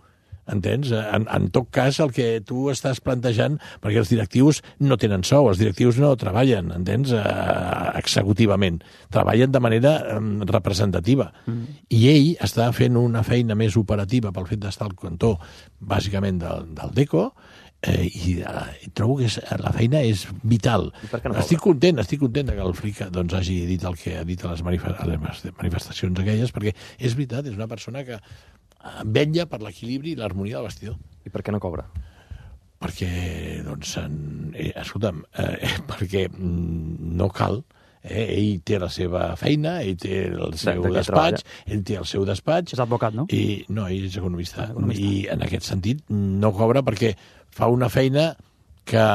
Speaker 2: Entens? En, en tot cas, el que tu estàs plantejant, perquè els directius no tenen sou, els directius no treballen, entens? Uh, executivament. Treballen de manera um, representativa. Mm. I ell està fent una feina més operativa pel fet d'estar al cantó, bàsicament, del, del DECO, eh, i, uh, i trobo que és, la feina és vital.
Speaker 6: No
Speaker 2: estic content, estic content que el Flick doncs, hagi dit el que ha dit a les, manifest a les manifestacions aquelles, perquè és veritat, és una persona que vetlla per l'equilibri i l'harmonia del vestidor.
Speaker 6: I per què no cobra?
Speaker 2: Perquè, doncs, en, eh, escolta'm, eh, perquè no cal. Eh, ell té la seva feina, ell té el seu
Speaker 6: de, de
Speaker 2: despatx, ell té el seu despatx.
Speaker 1: És advocat, no?
Speaker 2: I, no, ell és economista.
Speaker 1: Ah, economista.
Speaker 2: I en aquest sentit no cobra perquè fa una feina que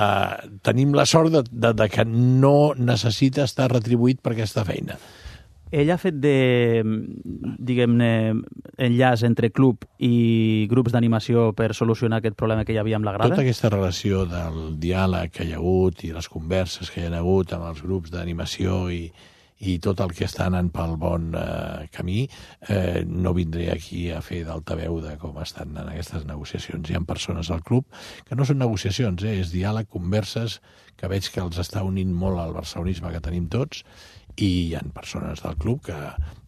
Speaker 2: tenim la sort de, de, de que no necessita estar retribuït per aquesta feina.
Speaker 1: Ell ha fet de, diguem-ne, enllaç entre club i grups d'animació per solucionar aquest problema que hi havia amb la grada?
Speaker 2: Tota aquesta relació del diàleg que hi ha hagut i les converses que hi ha hagut amb els grups d'animació i, i tot el que està anant pel bon eh, camí, eh, no vindré aquí a fer d'altaveu de com estan en aquestes negociacions. Hi ha persones al club que no són negociacions, eh, és diàleg, converses, que veig que els està unint molt al barcelonisme que tenim tots, i hi ha persones del club que,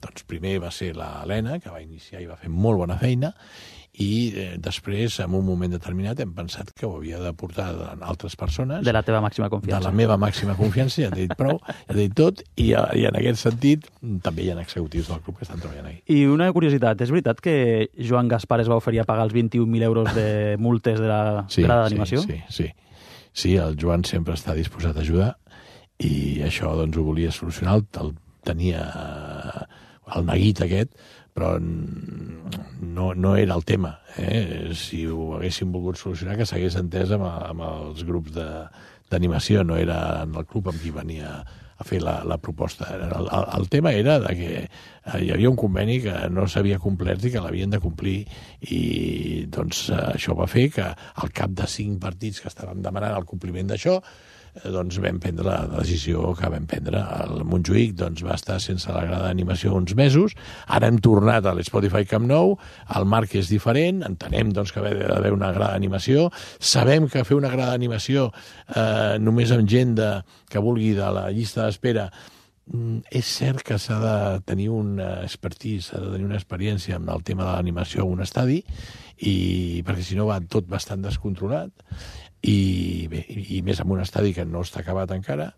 Speaker 2: doncs, primer va ser l'Helena, que va iniciar i va fer molt bona feina, i eh, després, en un moment determinat, hem pensat que ho havia de portar altres persones.
Speaker 1: De la teva màxima confiança.
Speaker 2: De la meva màxima confiança, ja t'he dit prou, ja t'he dit tot, i, i en aquest sentit també hi ha executius del club que estan treballant aquí.
Speaker 1: I una curiositat, és veritat que Joan Gaspar es va oferir a pagar els vint-i-un mil euros de multes de la
Speaker 2: sí,
Speaker 1: grada d'animació?
Speaker 2: Sí, sí, sí. Sí, el Joan sempre està disposat a ajudar, i això doncs ho volia solucionar, el, el tenia el neguit aquest, però no, no era el tema. Eh? Si ho haguéssim volgut solucionar, que s'hagués entès amb, amb els grups d'animació, no era en el club amb qui venia a fer la, la proposta. El, el, el tema era de que hi havia un conveni que no s'havia complert i que l'havien de complir, i doncs això va fer que al cap de cinc partits que estàvem demanant el compliment d'això, doncs vam prendre la decisió que vam prendre. El Montjuïc doncs, va estar sense la grada d'animació uns mesos, ara hem tornat a l'Spotify Camp Nou, el marc és diferent, entenem doncs, que ha d'haver una grada d'animació, sabem que fer una grada d'animació eh, només amb gent de, que vulgui de la llista d'espera, és cert que s'ha de tenir un expertise, s'ha de tenir una experiència amb el tema de l'animació a un estadi, i perquè si no va tot bastant descontrolat, i bé, i més amb un estadi que no està acabat encara,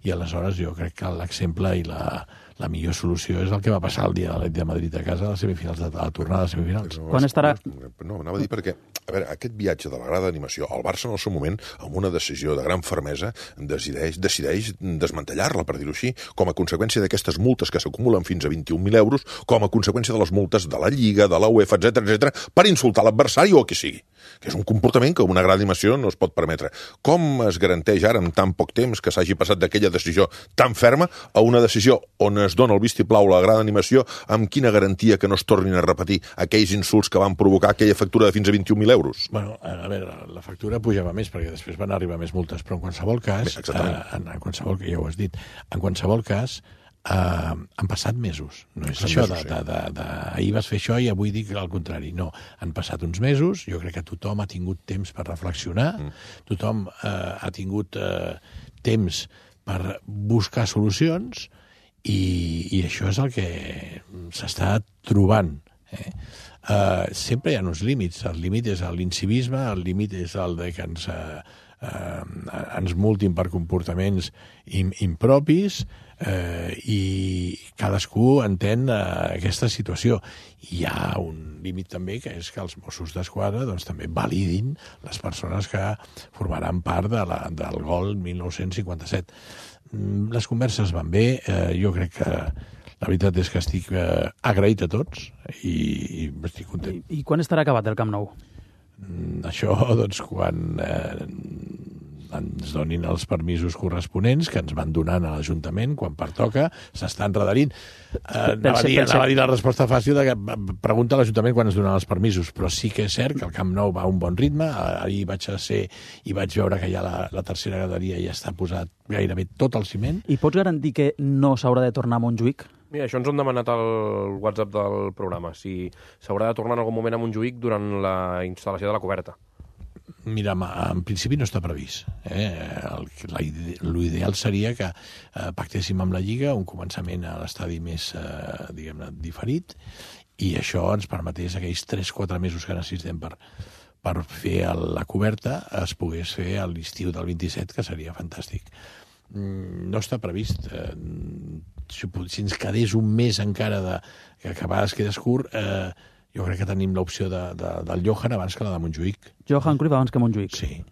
Speaker 2: i aleshores jo crec que l'exemple i la, la millor solució és el que va passar el dia de l'Atlètic de Madrid a casa a les semifinals, de la tornada de semifinals.
Speaker 3: No,
Speaker 1: Quan estarà?
Speaker 3: No, anava a dir perquè, a veure, aquest viatge de la grada d'animació, el Barça en el seu moment, amb una decisió de gran fermesa, decideix, decideix desmantellar-la, per dir-ho així, com a conseqüència d'aquestes multes que s'acumulen fins a vint-i-un mil euros, com a conseqüència de les multes de la Lliga, de la UEFA, etcètera, etcètera, per insultar l'adversari o qui sigui. Que és un comportament que una grada d'animació no es pot permetre. Com es garanteix ara, en tan poc temps, que s'hagi passat d'aquella decisió tan ferma a una decisió on es dona el vistiplau a la grada d'animació, amb quina garantia que no es tornin a repetir aquells insults que van provocar aquella factura de fins a vint-i-un mil euros?
Speaker 2: Bueno, a veure, la factura pujava més perquè després van arribar més multes, però en qualsevol cas,
Speaker 3: Bé,
Speaker 2: eh, en, en qualsevol, que ja ho has dit, en qualsevol cas, Uh, han passat mesos. No és això
Speaker 3: mesos,
Speaker 2: de, de, de, de ahir vas fer això i avui dic el contrari. No, han passat uns mesos, jo crec que tothom ha tingut temps per reflexionar, mm. tothom uh, ha tingut uh, temps per buscar solucions, i, i això és el que s'està trobant. Eh? Uh, sempre hi ha uns límits. El límit és l'incivisme, el límit és el de que ens, uh, uh, ens multin per comportaments im, impropis, uh, i cadascú entén uh, aquesta situació. Hi ha un límit també, que és que els Mossos d'Esquadra doncs, també validin les persones que formaran part de la, del gol dinou cinquanta-set. Les converses van bé, uh, jo crec que la veritat és que estic eh, agraït a tots i, i estic content.
Speaker 1: I, I quan estarà acabat el Camp Nou?
Speaker 2: Mm, això, doncs, quan eh, ens donin els permisos corresponents que ens van donant a l'Ajuntament, quan pertoca, s'està enredarint. Eh, anava, a dir, anava a dir la resposta fàcil de que pregunta a l'Ajuntament quan ens donen els permisos, però sí que és cert que el Camp Nou va a un bon ritme. Ahir vaig a ser i vaig veure que ja la, la tercera graderia ja està posat gairebé tot el ciment.
Speaker 1: I pots garantir que no s'haurà de tornar a Montjuïc?
Speaker 6: Mira, això ens ho han demanat al WhatsApp del programa, si s'haurà de tornar en algun moment a Montjuïc durant la instal·lació de la coberta.
Speaker 2: Mira, en principi no està previst. Eh? L'ideal seria que eh, pactéssim amb la Lliga un començament a l'estadi més, eh, diguem-ne, diferit, i això ens permetés aquells tres quatre mesos que necessitem per, per fer la coberta, es pogués fer a l'estiu del vint-i-set, que seria fantàstic. No està previst. Eh, si, si ens quedés un mes encara de, que a vegades quedes curt, eh, jo crec que tenim l'opció de, de, del Johan abans que la de Montjuïc.
Speaker 1: Johan Cruyff abans que Montjuïc?
Speaker 2: Sí.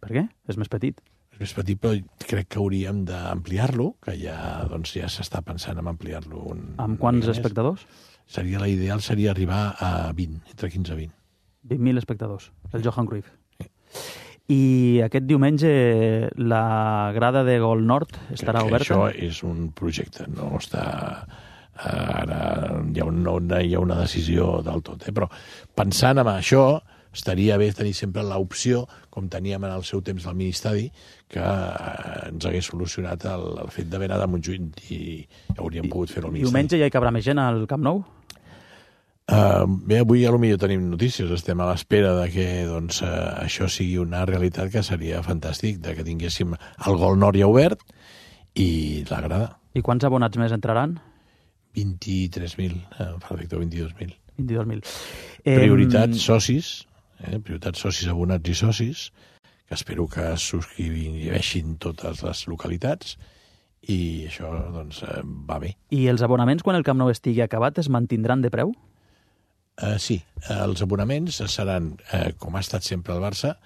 Speaker 1: Per què? És més petit.
Speaker 2: És més petit, però crec que hauríem d'ampliar-lo, que ja doncs, ja s'està pensant en ampliar-lo. Un,
Speaker 1: amb quants espectadors?
Speaker 2: Seria, la ideal seria arribar a vint, entre quinze i vint.
Speaker 1: vint mil espectadors, el Johan Cruyff.
Speaker 2: Sí.
Speaker 1: I aquest diumenge la grada de Gol Nord estarà
Speaker 2: crec que
Speaker 1: oberta?
Speaker 2: Això és un projecte, no està... Ara hi ha una, hi ha una decisió del tot, eh? Però pensant en això, estaria bé tenir sempre l'opció, com teníem en el seu temps al Ministadi, que ens hagués solucionat el, el fet d'haver anat a Montjuïc i hauríem I, pogut fer-ho al Ministadi.
Speaker 1: Diumenge ja hi cabrà més gent al Camp Nou?
Speaker 2: Uh, bé, avui a lo millor tenim notícies, estem a l'espera de que doncs, uh, això sigui una realitat, que seria fantàstic, de que tinguéssim el Gol Nord ja obert i la grada.
Speaker 1: I quants abonats més entraran?
Speaker 2: vint-i-tres mil, eh, perfecte, vint-i-dos mil.
Speaker 1: vint-i-dos mil.
Speaker 2: Prioritats socis, eh, prioritats socis, abonats i socis, que espero que es subscriveixin totes les localitats, i això doncs, eh, va bé.
Speaker 1: I els abonaments, quan el Camp Nou estigui acabat, es mantindran de preu?
Speaker 2: Uh, sí, els abonaments seran, eh, com ha estat sempre el Barça,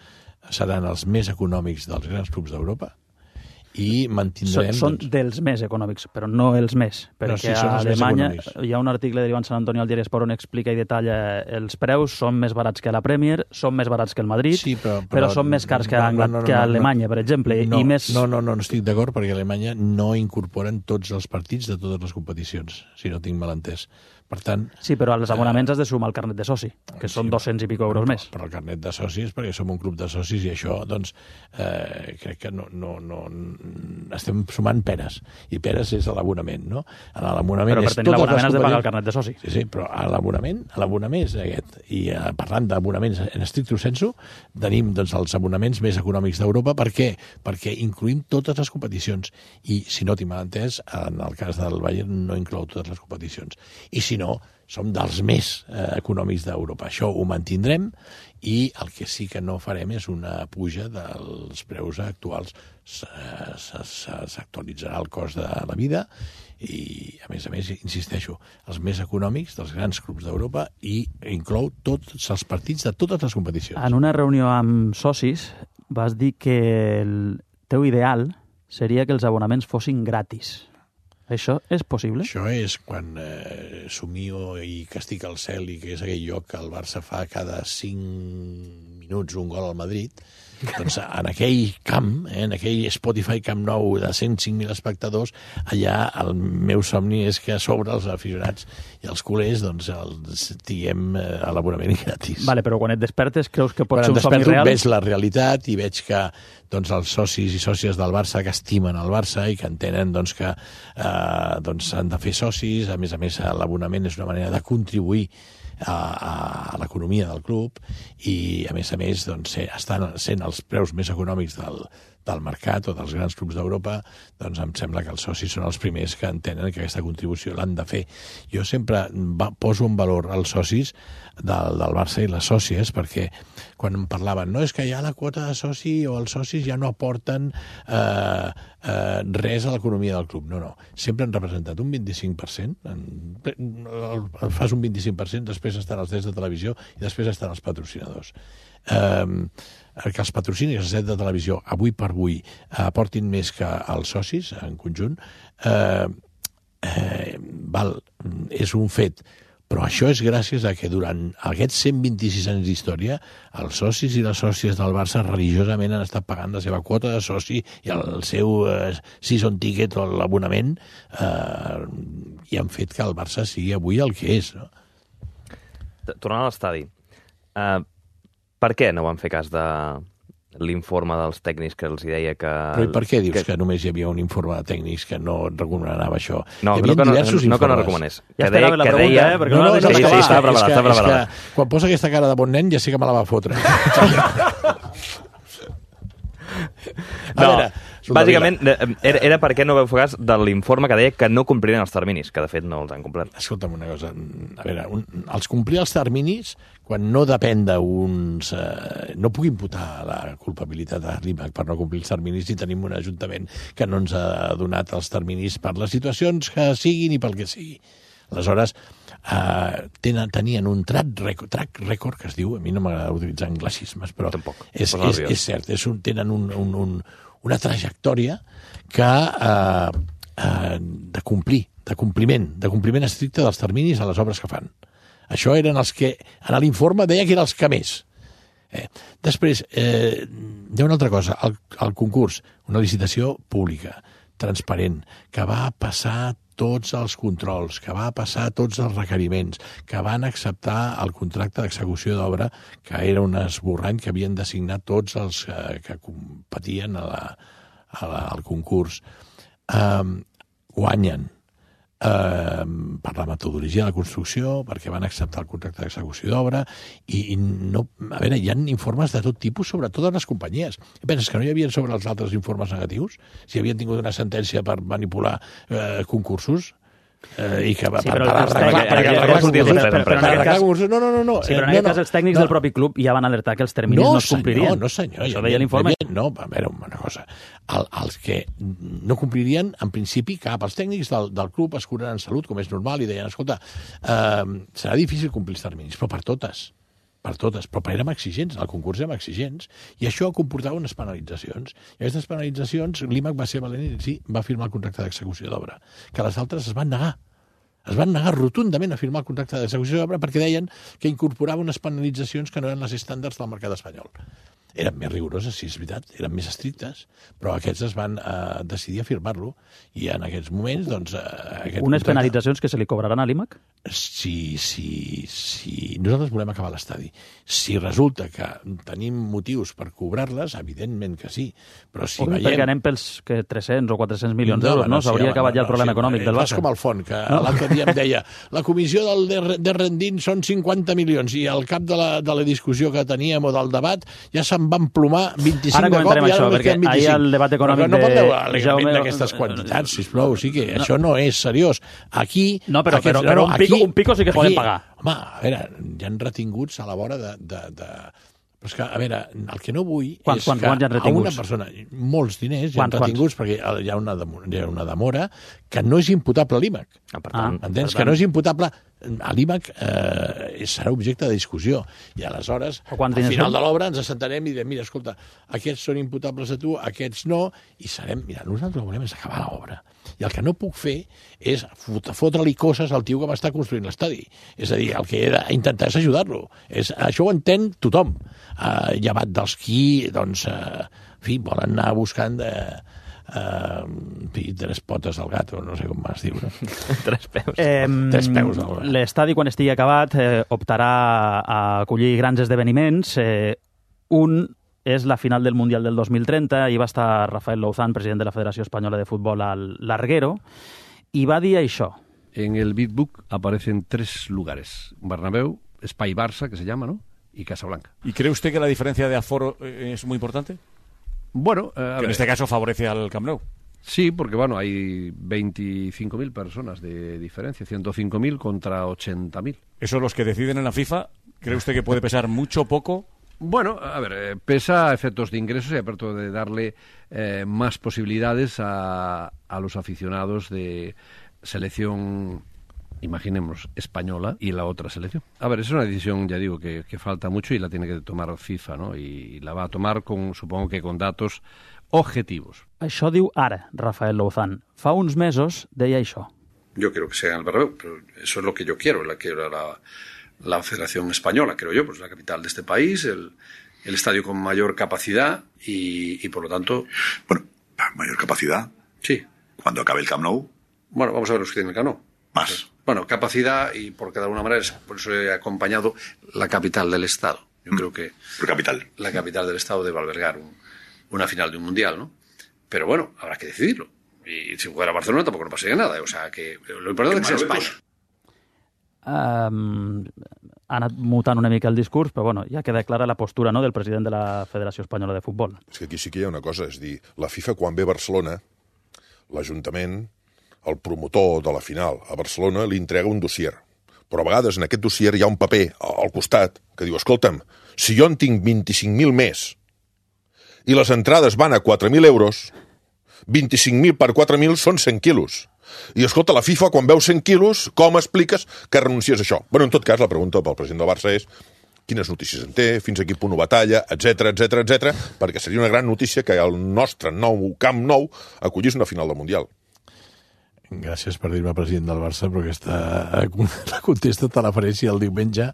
Speaker 2: seran els més econòmics dels grans clubs d'Europa, i mantindrem...
Speaker 1: Són, són
Speaker 2: doncs...
Speaker 1: dels més econòmics, però no els més, perquè no, sí, a Alemanya hi ha un article de l'Ivan Sant Antoni al diari Esport on explica i detalla els preus, són més barats que la Premier, són més barats que el Madrid, sí, però, però, però són més cars que, no, no, no, que a Alemanya, no, per exemple.
Speaker 2: No,
Speaker 1: i més...
Speaker 2: no, no, no, no estic d'acord, perquè a Alemanya no incorporen tots els partits de totes les competicions, si no tinc mal entès. Per tant...
Speaker 1: Sí, però als abonaments eh, has de sumar el carnet de soci, que sí, són dos-cents i pico euros
Speaker 2: però,
Speaker 1: més.
Speaker 2: Però el carnet de socis, perquè som un club de socis, i això, doncs, eh, crec que no, no, no... Estem sumant peres, i peres és l'abonament, no? En l'abonament
Speaker 1: però per tenir l'abonament has de pagar el carnet de soci.
Speaker 2: Sí, sí, però a l'abonament, a l'abonament és aquest. I eh, parlant d'abonaments en estricto sensu, tenim doncs, els abonaments més econòmics d'Europa. Per què? Perquè incluïm totes les competicions. I, si no tinc mal entès, en el cas del Bayern no inclou totes les competicions. I si no, som dels més eh, econòmics d'Europa. Això ho mantindrem, i el que sí que no farem és una puja dels preus actuals. S'actualitzarà el cost de la vida i, a més a més, insisteixo, els més econòmics dels grans clubs d'Europa, i inclou tots els partits de totes les competicions.
Speaker 1: En una reunió amb socis vas dir que el teu ideal seria que els abonaments fossin gratis. Això és possible?
Speaker 2: Això és quan eh, somio i que estic al cel, i que és aquell lloc que el Barça fa cada cinc minuts un gol al Madrid. Doncs en aquell camp, eh, en aquell Spotify Camp Nou de cent cinc mil espectadors, allà el meu somni és que a sobre els aficionats i els culers doncs els tinguem eh, a l'abonament gratis.
Speaker 1: Vale, però quan et despertes creus que pot
Speaker 2: quan
Speaker 1: ser un somni real?
Speaker 2: Quan veig la realitat i veig que doncs, els socis i sòcies del Barça que estimen el Barça i que entenen doncs, que eh, doncs, han de fer socis, a més a més l'abonament és una manera de contribuir a, a l'economia del club, i a més a més doncs, estan sent els preus més econòmics del, del mercat o dels grans clubs d'Europa, doncs em sembla que els socis són els primers que entenen que aquesta contribució l'han de fer. Jo sempre va, poso en valor els socis del, del Barça i les sòcies, perquè quan em parlaven, no, és que ja la quota de soci o els socis ja no aporten eh, eh, res a l'economia del club. No, no. Sempre han representat un vint-i-cinc per cent, en, fas un vint-i-cinc per cent, després estan els drets de televisió i després estan els patrocinadors. Eh, que els patrocinis dels drets de televisió avui per avui aportin més que els socis en conjunt, eh, eh, val, és un fet. Però això és gràcies a que durant aquests cent vint-i-sis anys d'història els socis i les sòcies del Barça religiosament han estat pagant la seva quota de soci i el seu eh, season ticket o l'abonament eh, i han fet que el Barça sigui avui el que és. No?
Speaker 7: Tornant a l'estadi, eh, per què no van fer cas de l'informe dels tècnics que els deia que...
Speaker 2: Però i per què dius que, que només hi havia un informe de tècnics que no recomanava això?
Speaker 7: No, no que no, no que no recomanés.
Speaker 1: Ja esperava la pregunta,
Speaker 7: deia...
Speaker 1: eh? Perquè no, no, no, no,
Speaker 7: sí, sí, estava preparat, estava preparat.
Speaker 2: És que quan posa aquesta cara de bon nen ja sé que me la va fotre.
Speaker 7: No, veure, bàsicament era, era perquè no veu fer cas de l'informe que deia que no complirien els terminis, que de fet no els han complert.
Speaker 2: Escolta'm una cosa, a veure, un, els complir els terminis, quan no depèn d'uns... Eh, no puc imputar la culpabilitat a l'I M A C per no complir els terminis si tenim un ajuntament que no ens ha donat els terminis per les situacions que siguin i pel que sigui. Aleshores, eh, tenen, tenien un track record, track record que es diu, a mi no m'agrada utilitzar anglicismes, però
Speaker 7: Tampoc.
Speaker 2: és, és, és cert, és un, tenen un, un, un, una trajectòria que eh, eh, de complir, de compliment, de compliment estricte dels terminis a les obres que fan. Això eren els que, en l'informe deia que eren els que més. Eh, després, eh, hi ha una altra cosa, el, el concurs, una licitació pública, transparent, que va passar tots els controls, que va passar tots els requeriments, que van acceptar el contracte d'execució d'obra, que era un esborrany que havien de signar tots els eh, que competien a la, a la, al concurs. Eh, guanyen. Eh, per la metodologia de la construcció, perquè van acceptar el contracte d'execució d'obra i, i no, a veure, hi ha informes de tot tipus sobre totes les companyies. Penses que no hi havia sobre els altres informes negatius? Si havien tingut una sentència per manipular eh, concursos? Eh, i que va
Speaker 1: sí,
Speaker 2: per,
Speaker 1: per,
Speaker 2: per arreglar
Speaker 1: concursos.
Speaker 2: No, no, no, no.
Speaker 1: Sí, però en aquest
Speaker 2: no,
Speaker 1: cas els tècnics
Speaker 2: no.
Speaker 1: del propi club ja van alertar que els terminis
Speaker 2: no,
Speaker 1: no es complirien.
Speaker 2: No, no, senyor.
Speaker 1: Això deia l'informe.
Speaker 2: No, a veure, una cosa. El, els que no complirien, en principi, cap. Els tècnics del, del club es curaran en salut, com és normal, i deien, escolta, eh, serà difícil complir els terminis, però per totes. per totes, però érem exigents, el concurs érem exigents, i això comportava unes penalitzacions. I aquestes penalitzacions, l'I M A C va ser valent i sí, va firmar el contracte d'execució d'obra, que les altres es van negar. Es van negar rotundament a firmar el contracte d'execució d'obra perquè deien que incorporava unes penalitzacions que no eren les estàndards del mercat espanyol. Eren més rigoroses, sí, és veritat, eren més estrictes, però aquests es van eh, decidir a firmar-lo, i en aquests moments, doncs... Eh, aquest
Speaker 1: Unes
Speaker 2: contracte...
Speaker 1: penalitzacions que se li cobraran a l'I M A C?
Speaker 2: Si, si, si nosaltres volem acabar l'estadi. Si resulta que tenim motius per cobrar-les, evidentment que sí, però si
Speaker 1: o
Speaker 2: veiem...
Speaker 1: Perquè anem pels que tres-cents o quatre-cents milions d'euros, no? S'hauria sí, acabat ja el problema no, econòmic
Speaker 2: sí,
Speaker 1: del Barça.
Speaker 2: Fas com el font, que no? L'altre dia em deia la comissió del de, de rendint són cinquanta milions, i al cap de la, de la discussió que teníem o del debat ja se'n van plomar vint-i-cinc
Speaker 1: ara
Speaker 2: de cop, i ara
Speaker 1: això,
Speaker 2: només queden vint-i-cinc.
Speaker 1: Ahir el debat econòmic
Speaker 2: però no pot veure
Speaker 1: de Jaume...
Speaker 2: d'aquestes quantitats, sisplau, sí que no. Això no és seriós. Aquí...
Speaker 1: No, però,
Speaker 2: aquests,
Speaker 1: però, però
Speaker 2: no,
Speaker 1: un, pico,
Speaker 2: aquí,
Speaker 1: un pico sí que
Speaker 2: aquí,
Speaker 1: poden pagar.
Speaker 2: Home, a veure, hi ha retinguts a la vora de... de, de... Però és que, a veure, el que no vull
Speaker 1: quants,
Speaker 2: és
Speaker 1: quants,
Speaker 2: que
Speaker 1: quants
Speaker 2: a una persona... Molts diners hi ha retinguts, quants? Perquè hi ha, una demora, hi ha una demora que no és imputable a l'I M A C.
Speaker 7: Ah, per tant,
Speaker 2: ah, entens? Per tant... Que no és imputable... A l'I M A C eh, serà objecte de discussió. I aleshores, al final de l'obra, ens assentarem i direm, mira, escolta, aquests són imputables a tu, aquests no, i serem... Mira, nosaltres el que volem és acabar l'obra. I el que no puc fer és fotre-li coses al tio que m'està construint l'estadi. És a dir, el que he d'intentar és ajudar-lo. És, això ho entén tothom. Eh, llevat dels qui, doncs, eh, en fi, volen anar buscant... Eh, Uh, tres potes al gato, no sé com m'has dit, no?
Speaker 7: tres peus.
Speaker 1: Eh,
Speaker 2: tres peus al gato.
Speaker 1: L'estadi, quan estigui acabat, eh, optarà a acollir grans esdeveniments. Eh, un és la final del Mundial del dos mil trenta, i va estar Rafael Louzán, president de la Federació Espanyola de Futbol, al Larguero, i va dir això.
Speaker 8: En el Big Book aparecen tres lugares: Bernabéu, Espai Barça, que se llama, ¿no?, y Casablanca.
Speaker 9: ¿Y cree usted que la diferencia de aforo es muy importante?
Speaker 8: Bueno, eh, a
Speaker 9: que
Speaker 8: ver,
Speaker 9: en este caso favorece al Camp Nou.
Speaker 8: sí, porque bueno, hay veinticinco mil personas de diferencia, ciento cinco mil contra ochenta mil.
Speaker 9: Eso los que deciden en la FIFA, ¿cree usted que puede pesar mucho o poco?
Speaker 8: Bueno, a ver, eh, pesa a efectos de ingresos y aparte de darle eh, más posibilidades a, a los aficionados de selección, imaginemos, española y la otra selección. A ver, es una decisión, ya digo, que, que falta mucho y la tiene que tomar FIFA, ¿no? Y la va a tomar, con, supongo que con datos objetivos.
Speaker 1: Això diu ara Rafael Louzán. Fa uns mesos deia això.
Speaker 10: Yo quiero que sea en el Bernabéu, pero eso es lo que yo quiero, la que era la, la Federación Española, creo yo, pues la capital de este país, el, el estadio con mayor capacidad y, y por lo tanto...
Speaker 11: Bueno, mayor capacidad.
Speaker 10: Sí.
Speaker 11: Cuando acabe el Camp Nou.
Speaker 10: Bueno, vamos a ver los que tienen el Camp Nou.
Speaker 11: Más.
Speaker 10: Bueno, capacidad y porque de alguna manera, es, por eso he acompañado la capital del Estado. Yo mm. creo que...
Speaker 11: ¿Por capital?
Speaker 10: La capital del Estado debe albergar un, una final de un Mundial, ¿no? Pero bueno, habrá que decidirlo. Y si fuera Barcelona tampoco no pasaría nada. O sea, que lo importante es que sea España.
Speaker 1: Um, ha anat mutant una mica el discurs, però bueno, ja queda clara la postura, no?, del president de la Federació Espanyola de Futbol.
Speaker 3: És que aquí sí que hi ha una cosa, és dir, la FIFA quan ve a Barcelona, l'Ajuntament, el promotor de la final a Barcelona, li entrega un dossier. Però a vegades en aquest dossier hi ha un paper al costat que diu, escolta'm, si jo en tinc vint-i-cinc mil més i les entrades van a quatre mil euros, vint-i-cinc mil per quatre mil són cent quilos. I, escolta, la FIFA, quan veu cent quilos, com expliques que renuncies a això? Bueno, en tot cas, la pregunta pel president del Barça és quines notícies en té, fins a quin punt ho batalla, etcètera, etcètera, etcètera, perquè seria una gran notícia que el nostre nou Camp Nou acollís una final del Mundial.
Speaker 2: Gràcies per dir-me president del Barça, però aquesta la contesta te la faré si el diumenge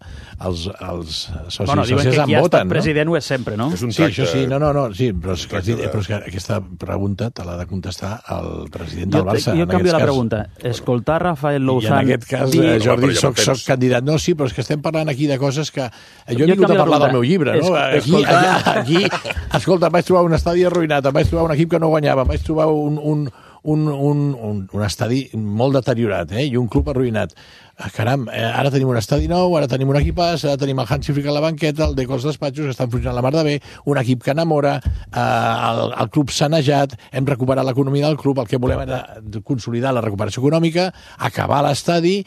Speaker 2: els, els socis
Speaker 1: bueno,
Speaker 2: i socis em voten, no? Diuen que qui ha estat
Speaker 1: president ho és sempre, no?
Speaker 2: És un tracte, sí, això sí, no, no, no, sí, però, és que, de... però és que aquesta pregunta te l'ha de contestar el president del
Speaker 1: jo,
Speaker 2: Barça.
Speaker 1: Jo canvio la cas. pregunta. Escoltar Rafael Louzán...
Speaker 2: I en aquest cas, dir... Jordi, no, soc, soc candidat. No, sí, però és que estem parlant aquí de coses que... Jo he jo vingut a parlar del meu llibre, no? Es... Aquí, escoltar... aquí, escolta, em vaig trobar un estadi arruïnat, em vaig trobar un equip que no guanyava, em vaig trobar un... un Un, un, un, un estadi molt deteriorat, eh? I un club arruïnat. Ah, caram, eh, ara tenim un estadi nou, ara tenim un equipàs, ara tenim el Hansi Flick a la banqueta, el Deco als despatxos, que estan funcionant la mar de bé, un equip que enamora, eh, el, el club sanejat, hem recuperat l'economia del club, el que volem era consolidar la recuperació econòmica, acabar l'estadi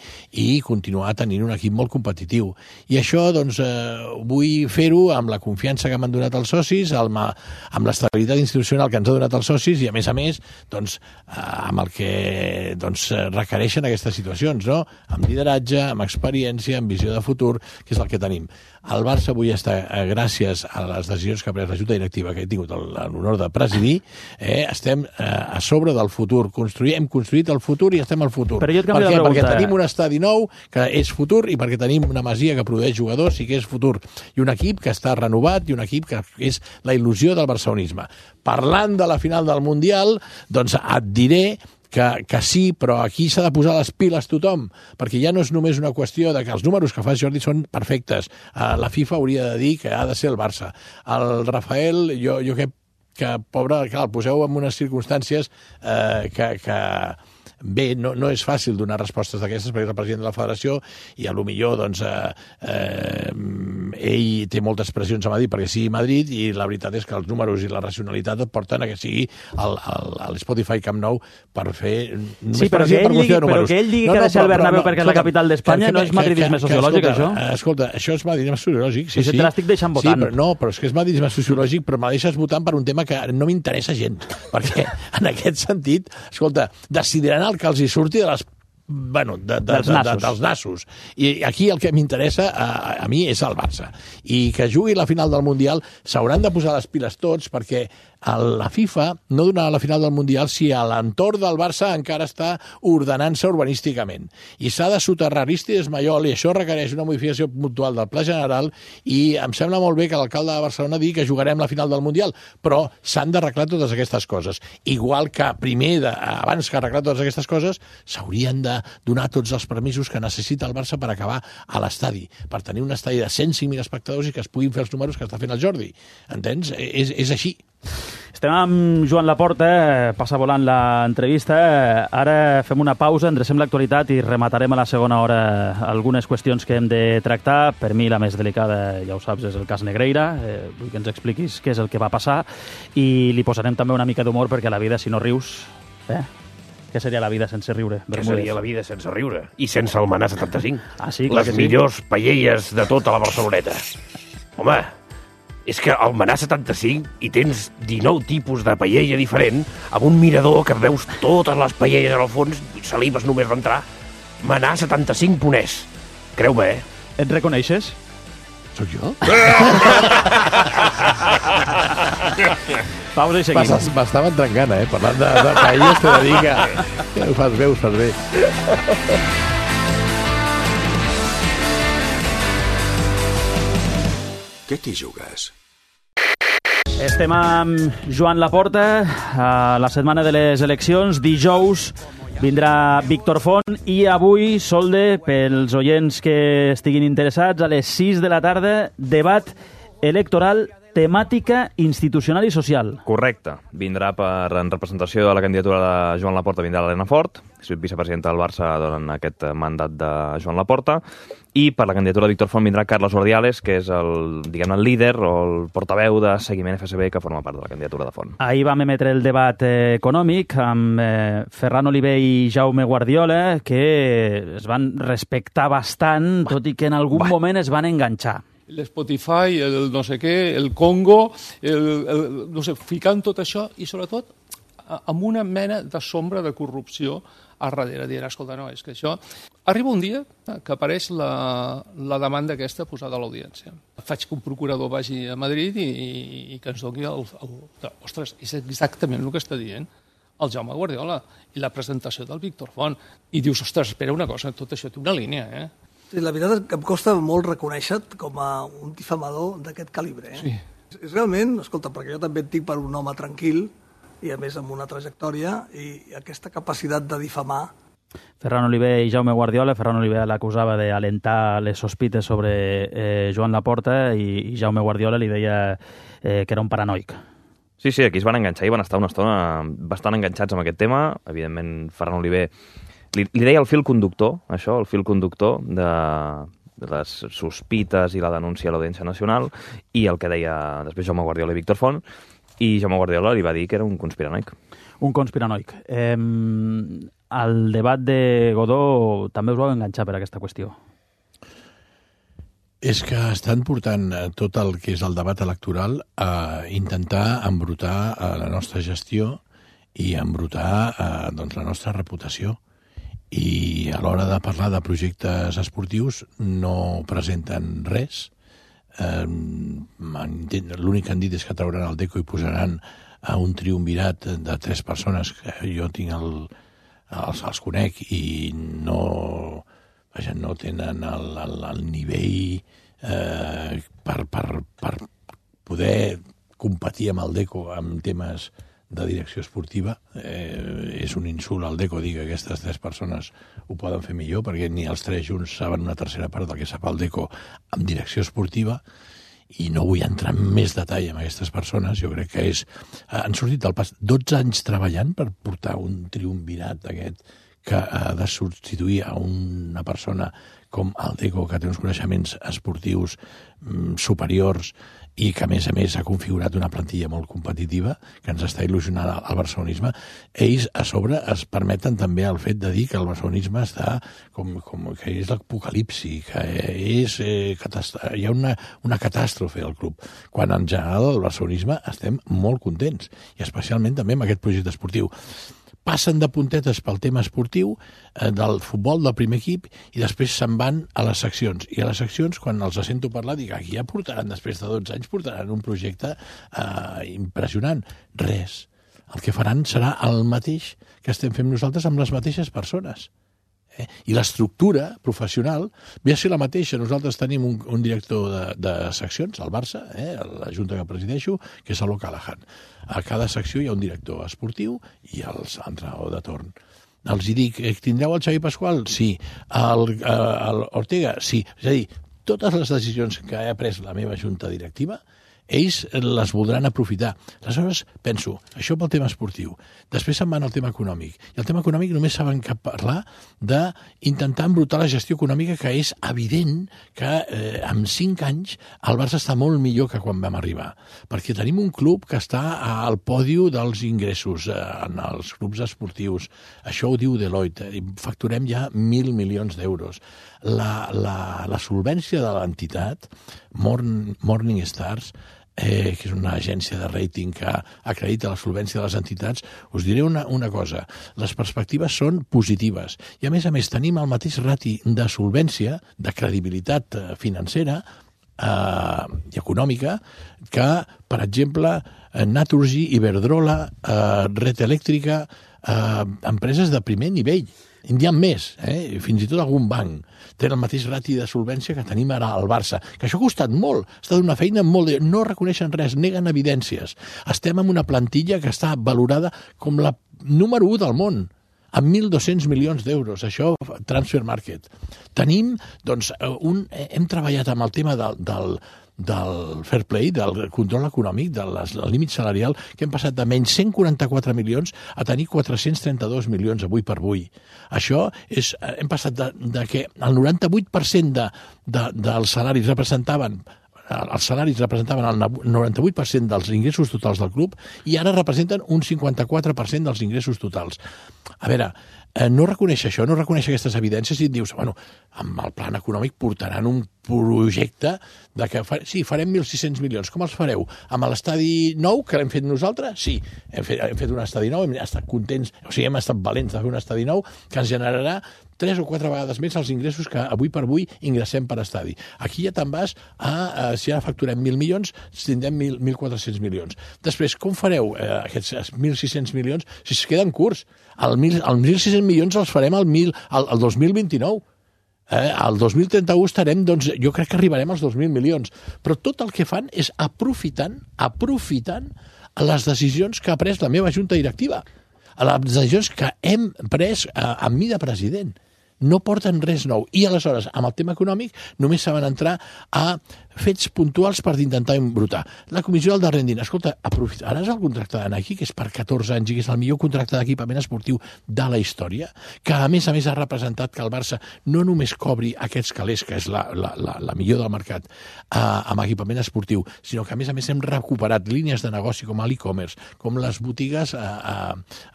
Speaker 2: i continuar tenint un equip molt competitiu. I això, doncs, eh, vull fer-ho amb la confiança que m'han donat els socis, amb, amb l'estabilitat institucional que ens ha donat els socis i, a més a més, doncs, eh, amb el que doncs, requereixen aquestes situacions, no? Amb lideratge, amb experiència, amb visió de futur, que és el que tenim. El Barça avui està, eh, gràcies a les decisions que ha pres la Junta Directiva, que he tingut l'honor de presidir, eh, estem eh, a sobre del futur. Construir, hem construït el futur i estem al futur.
Speaker 1: Però jo et canvio
Speaker 2: per
Speaker 1: la pregunta.
Speaker 2: Perquè tenim un estadi nou que és futur i perquè tenim una masia que produeix jugadors i que és futur. I un equip que està renovat i un equip que és la il·lusió del barcelonisme. Parlant de la final del Mundial, doncs et diré Que, que sí, però aquí s'ha de posar les piles tothom, perquè ja no és només una qüestió de que els números que fa Jordi són perfectes. Uh, la FIFA hauria de dir que ha de ser el Barça. El Rafael, jo, jo crec que, pobre, clar, el poseu en unes circumstàncies eh, que... que bé, no, no és fàcil donar respostes d'aquestes perquè és el president de la federació i a lo millor doncs, eh, eh, ell té moltes pressions a Madrid perquè sigui Madrid i la veritat és que els números i la racionalitat et porten a que sigui l'Spotify Camp Nou per fer...
Speaker 1: Sí, però que, ell digui, però que ell digui no, no, que ha de ser el Bernabéu no, perquè és la capital d'Espanya no és madridisme sociològic, això?
Speaker 2: Escolta, això és madridisme sociològic, sí,
Speaker 1: sí. Te l'estic deixant votant.
Speaker 2: Sí, però, no, però és que és madridisme sociològic, però me deixes votant per un tema que no m'interessa gens, perquè en aquest sentit, escolta, decidiran el que els hi surti de les bueno, de, de,
Speaker 1: dels,
Speaker 2: de,
Speaker 1: nassos.
Speaker 2: de, dels nassos. I aquí el que m'interessa a, a mi és el Barça. I que jugui la final del Mundial s'hauran de posar les piles tots perquè la FIFA no donarà la final del Mundial si a l'entorn del Barça encara està ordenant-se urbanísticament. I s'ha de soterrar Aristides Maiol i això requereix una modificació puntual del Pla General i em sembla molt bé que l'alcalde de Barcelona digui que jugarem la final del Mundial, però s'han d'arreglar totes aquestes coses. Igual que primer, de, abans que arreglar totes aquestes coses, s'haurien de donar tots els permisos que necessita el Barça per acabar a l'estadi, per tenir un estadi de cent cinc mil espectadors i que es puguin fer els números que està fent el Jordi. Entens? És, és així.
Speaker 1: Estem amb Joan Laporta, passa volant l'entrevista. Ara fem una pausa, endrecem l'actualitat i rematarem a la segona hora algunes qüestions que hem de tractar. Per mi la més delicada, ja ho saps, és el cas Negreira. Eh, vull que ens expliquis què és el que va passar i li posarem també una mica d'humor perquè la vida, si no rius... Eh? Què seria la vida sense riure?
Speaker 6: Què seria la vida sense riure? I sense el Manà setanta-cinc.
Speaker 1: Ah, sí, clar
Speaker 6: Les
Speaker 1: que sí.
Speaker 6: millors paelles de tota la Barceloneta. Home, és que al Manà setanta-cinc hi tens dinou tipus de paella diferent, amb un mirador que veus totes les paelles al fons i salives només d'entrar. Manà setanta-cinc ponès. Creu-me, eh?
Speaker 1: Et reconeixes?
Speaker 2: Soc jo?
Speaker 1: Pausa i seguim.
Speaker 2: M'estava entrant gana, eh? Parlant de, de paelles, t'he de dir que ho fas bé, ho fas bé.
Speaker 11: Què t'hi jugues?
Speaker 1: Estem amb Joan Laporta a la setmana de les eleccions. Dijous vindrà Víctor Font i avui, Solde, pels oients que estiguin interessats, a les sis de la tarda, debat electoral, temàtica institucional i social.
Speaker 7: Correcte. Vindrà per, en representació de la candidatura de Joan Laporta, vindrà l'Helena Fort, vicepresidenta del Barça durant aquest mandat de Joan Laporta, i per la candidatura de Víctor Font vindrà Carles Ordiales, que és el, diguem, el líder o el portaveu de Seguiment F S B que forma part de la candidatura de Font.
Speaker 1: Ahir vam emetre el debat eh, econòmic amb eh, Ferran Oliver i Jaume Guardiola, que es van respectar bastant, tot i que en algun
Speaker 7: Va.
Speaker 1: moment es van enganxar.
Speaker 12: L'Spotify, el no sé què, el Congo, el, el, no sé, ficant tot això i sobretot amb una mena de sombra de corrupció a darrere, dient, escolta, no, és que això... Arriba un dia que apareix la, la demanda aquesta posada a l'audiència. Faig que un procurador vagi a Madrid i, i, i que ens doni el, el... Ostres, és exactament el que està dient el Jaume Guardiola i la presentació del Víctor Font. I dius, ostres, espera una cosa, tot això té una línia, eh?
Speaker 13: Sí, la veritat és que em costa molt reconèixer com a un difamador d'aquest calibre. Eh?
Speaker 12: Sí.
Speaker 13: És realment, escolta, perquè jo també et dic per un home tranquil i a més amb una trajectòria i aquesta capacitat de difamar.
Speaker 1: Ferran Oliver i Jaume Guardiola. Ferran Oliver l'acusava d'alentar les sospites sobre eh, Joan Laporta i, i Jaume Guardiola li deia eh, que era un paranoic.
Speaker 7: Sí, sí, aquí es van enganxar i van estar una estona bastant enganxats amb aquest tema. Evidentment, Ferran Oliver li, li deia el fil conductor, això, el fil conductor de, de les sospites i la denúncia a l'Audiència Nacional, i el que deia després Jaume Guardiola i Víctor Font, i Jaume Guardiola li va dir que era un conspiranoic.
Speaker 1: Un conspiranoic. Eh, al debat de Godó també us vau enganxar per aquesta qüestió.
Speaker 2: És que estan portant tot el que és el debat electoral a intentar embrutar la nostra gestió i embrutar eh, doncs, la nostra reputació. I a l'hora de parlar de projectes esportius no presenten res. Eh, L'únic que han dit és que trauran el Deco i posaran a un triumvirat de tres persones que jo tinc el, els, els conec i no, vaja, no tenen el, el, el nivell eh, per, per, per poder competir amb el Deco en temes de direcció esportiva. Eh, és un insult al Deco dir que aquestes tres persones ho poden fer millor, perquè ni els tres junts saben una tercera part del que sap el Deco en direcció esportiva, i no vull entrar en més detall amb aquestes persones. Jo crec que és... Han sortit del pas dotze anys treballant per portar un triumvirat d'aquest que ha de substituir a una persona com el Deco, que té uns coneixements esportius mm, superiors i que, a més a més, ha configurat una plantilla molt competitiva, que ens està il·lusionant al barcelonisme. Ells, a sobre, es permeten també el fet de dir que el barcelonisme està com, com que és l'apocalipsi, que és, eh, hi ha una, una catàstrofe al club, quan en general el barcelonisme estem molt contents, i especialment també amb aquest projecte esportiu. Passen de puntetes pel tema esportiu eh, del futbol del primer equip i després se'n van a les seccions. I a les seccions, quan els sento parlar, dic, aquí ja portaran, després de dotze anys, portaran un projecte eh, impressionant. Res. El que faran serà el mateix que estem fent nosaltres amb les mateixes persones. Eh? I l'estructura professional ve a ser la mateixa. Nosaltres tenim un, un director de, de seccions, al Barça, eh? la junta que presideixo, que és l'O Callahan. A cada secció hi ha un director esportiu i el entrenador de torn. Els hi dic, tindreu el Xavi Pasqual? Sí. El, el Ortega? Sí. És a dir, totes les decisions que ha pres la meva junta directiva ells les voldran aprofitar. Aleshores, penso, això pel tema esportiu. Després se'n van al tema econòmic. I el tema econòmic només saben que parlar d'intentar embrutar la gestió econòmica, que és evident que eh, en cinc anys el Barça està molt millor que quan vam arribar. Perquè tenim un club que està al pòdio dels ingressos eh, en els clubs esportius. Això ho diu Deloitte. Facturem ja mil milions d'euros. La, la, la solvència de l'entitat, Morning, Morning Stars, eh, que és una agència de rating que acredita la solvència de les entitats, us diré una, una cosa. Les perspectives són positives. I, a més a més, tenim el mateix rati de solvència, de credibilitat financera eh, i econòmica, que, per exemple, Naturgy, Iberdrola, eh, Red Elèctrica, eh, empreses de primer nivell. N'hi ha més, eh? Fins i tot algun banc té el mateix rati de solvència que tenim ara al Barça, que això ha costat molt, ha estat una feina molt... De... No reconeixen res, neguen evidències. Estem en una plantilla que està valorada com la número u del món, amb mil dos-cents milions d'euros, això, Transfer Market. Tenim, doncs, un... hem treballat amb el tema del... del del fair play, del control econòmic, del límit salarial, que hem passat de menys cent quaranta-quatre milions a tenir quatre-cents trenta-dos milions avui per avui. Això és... Hem passat de, de que el noranta-vuit per cent de, de, dels salaris representaven els salaris representaven el noranta-vuit per cent dels ingressos totals del club i ara representen un cinquanta-quatre per cent dels ingressos totals. A veure, no reconeix això, no reconeix aquestes evidències i et dius, bueno, amb el plan econòmic portaran un projecte de que, fa, sí, farem mil sis-cents milions. Com els fareu? Amb l'estadi nou, que l'hem fet nosaltres? Sí, hem fet, hem fet un estadi nou, hem estat contents, o sigui, hem estat valents de fer un estadi nou que ens generarà tres o quatre vegades més els ingressos que avui per avui ingressem per estadi. Aquí ja te'n vas a, a si ara facturem mil milions, tindrem mil quatre-cents milions. Després, com fareu eh, aquests mil sis-cents milions si es queden curts? El mil sis-cents milions els farem al, mil, al, al dos mil vint-i-nou. Eh, al dos mil trenta-u estarem, doncs, jo crec que arribarem als dos mil milions. Però tot el que fan és aprofitant, aprofitant les decisions que ha pres la meva junta directiva. Les decisions que hem pres eh, amb mi de president. No porten res nou. I aleshores, amb el tema econòmic, només saben entrar a fets puntuals per intentar embrutar. La comissió del darrer rendint, escolta, aprofitaràs el contracte de Nike, que és per catorze anys i que és el millor contracte d'equipament esportiu de la història, que a més a més ha representat que el Barça no només cobri aquests calés, que és la, la, la, la millor del mercat, eh, amb equipament esportiu, sinó que a més a més hem recuperat línies de negoci com l'e-commerce, com les botigues, eh,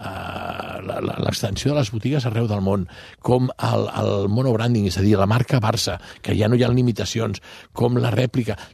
Speaker 2: eh, l'extensió de les botigues arreu del món, com el, el monobranding, és a dir, la marca Barça, que ja no hi ha limitacions, com la rèplica.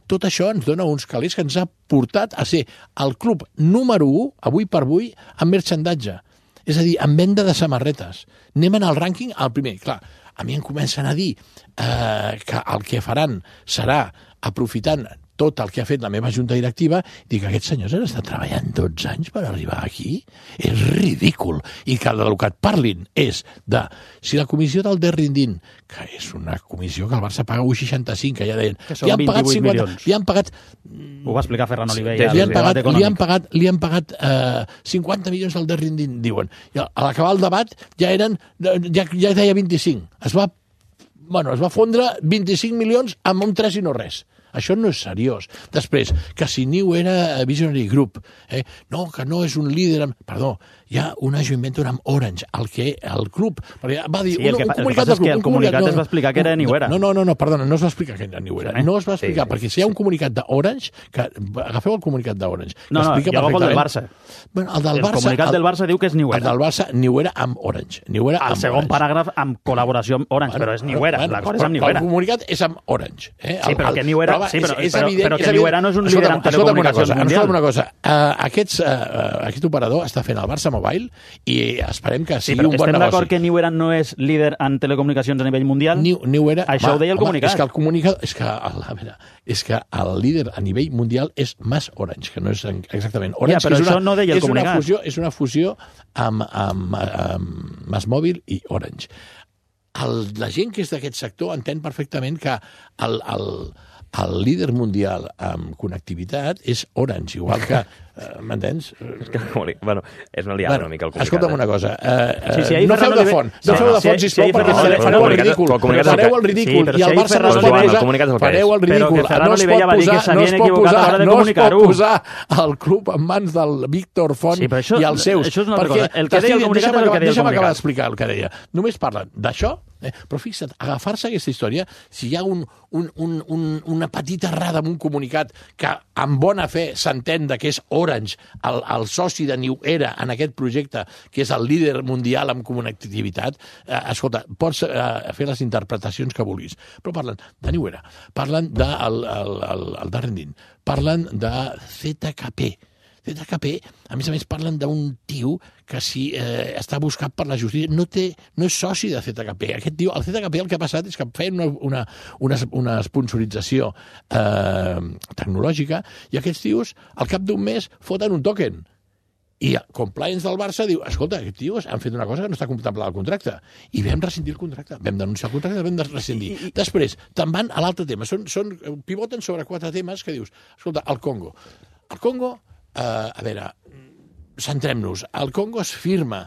Speaker 2: Tot això ens dona uns calés que ens ha portat a ser el club número u, avui per avui, en merchandatge. És a dir, en venda de samarretes. Anem en el rànquing al primer. Clar, a mi em comencen a dir eh, que el que faran serà, aprofitant tot el que ha fet la meva junta directiva, dic que aquests senyors han estat treballant dotze anys per arribar aquí. És ridícul. I que el que et parlin és de si la comissió del Derrindin, que és una comissió que el Barça paga u seixanta-cinc, que ja deien...
Speaker 1: Que són vint-i-vuit milions.
Speaker 2: Li han pagat...
Speaker 1: Ho va explicar Ferran Oliver.
Speaker 2: Ja, li, han pagat, li han pagat, li han pagat eh, cinquanta milions al Derrindin, diuen. I a l'acabar el debat ja eren... Ja, ja deia vint-i-cinc. Es va, bueno, es va fondre vint-i-cinc milions amb un tres i no res. Això no és seriós. Després, que si Niu era Visionary Group, eh? no, que no és un líder... Amb... Perdó, hi ha una joint venture amb Orange, el que el club... Va dir,
Speaker 1: sí, el que, un, un comunicat el que passa és que el comunicat no, es va explicar que era Niuera.
Speaker 2: No, no, no, no, perdona, no es va explicar que era Niuera. Sí, no es va explicar, sí, perquè si hi ha un comunicat d'Orange, que agafeu el comunicat d'Orange.
Speaker 1: No, no, jo agafo el del Barça.
Speaker 2: Bueno, el del
Speaker 1: el
Speaker 2: Barça,
Speaker 1: comunicat el, del Barça diu que és Niuera.
Speaker 2: El del Barça, Niuera amb Orange. Niuera
Speaker 1: el
Speaker 2: amb
Speaker 1: segon
Speaker 2: Orange.
Speaker 1: paràgraf amb col·laboració amb Orange, bueno, però és Niuera. Bueno, l'acord és amb Niuera.
Speaker 2: El comunicat és amb Orange. Eh?
Speaker 1: Sí, però
Speaker 2: el,
Speaker 1: que Niuera...
Speaker 2: Però,
Speaker 1: sí, però,
Speaker 2: és, és
Speaker 1: però,
Speaker 2: evident,
Speaker 1: però que
Speaker 2: és
Speaker 1: Niuera no és un líder en telecomunicacions mundial.
Speaker 2: Escolta'm una cosa. Uh, aquests, uh, aquest operador està fent el Barça Mobile i esperem que sigui sí, un bon negoci.
Speaker 1: Estem d'acord que Niuera no és líder en telecomunicacions a nivell mundial?
Speaker 2: Niu, Niuera,
Speaker 1: Això
Speaker 2: home,
Speaker 1: ho deia el
Speaker 2: home,
Speaker 1: comunicat.
Speaker 2: És que el comunicat... És que, a veure, és que el líder a nivell mundial és Mas Orange, que no és exactament Orange.
Speaker 1: Ja, però
Speaker 2: és
Speaker 1: això
Speaker 2: una,
Speaker 1: no deia el
Speaker 2: és
Speaker 1: comunicat.
Speaker 2: Una fusió, és una fusió amb, amb, amb Mas Mòbil i Orange. El, la gent que és d'aquest sector entén perfectament que el, el, el líder mundial en connectivitat és Orange, igual que... Eh, M'entens?
Speaker 7: És que, bueno, és una liada una mica el comunicat.
Speaker 2: Escolta'm una cosa. Eh,
Speaker 1: sí, sí,
Speaker 2: no feu de font, no feu de font, sisplau, perquè fareu el ridícul. Fareu el ridícul i el Barça no es pot posar... Fareu el ridícul. No es pot posar, no es pot posar, no es pot posar el club en mans del Víctor Font i els seus.
Speaker 1: Això és una altra cosa. El que deia el comunicat és el que deia el comunicat.
Speaker 2: Deixa'm acabar d'explicar el que deia. Només parlen d'això, eh? Però fixa't, agafar-se aquesta història, si hi ha un, un, un, un, una petita errada en un comunicat que amb bona fe s'entén que és Orange, el, el soci de New Era en aquest projecte, que és el líder mundial en connectivitat, eh, escolta, pots eh, fer les interpretacions que vulguis, però parlen de New Era, parlen del el, el, el, el Darren, parlen de Z K P, Z K P, a més a més parlen d'un tio que si eh, està buscat per la justícia, no, té, no és soci de Z K P. Aquest tio, el Z K P el que ha passat és que feien una, una, una, una sponsorització eh, tecnològica i aquests tios al cap d'un mes foten un token. I compliance del Barça diu, escolta, aquests tios han fet una cosa que no està contemplada al contracte. I vam rescindir el contracte. Vam denunciar el contracte, vam rescindir. I, i... Després, te'n van a l'altre tema. Són, són, pivoten sobre quatre temes que dius, escolta, el Congo. El Congo, eh, a veure, centrem-nos. Al Congo es firma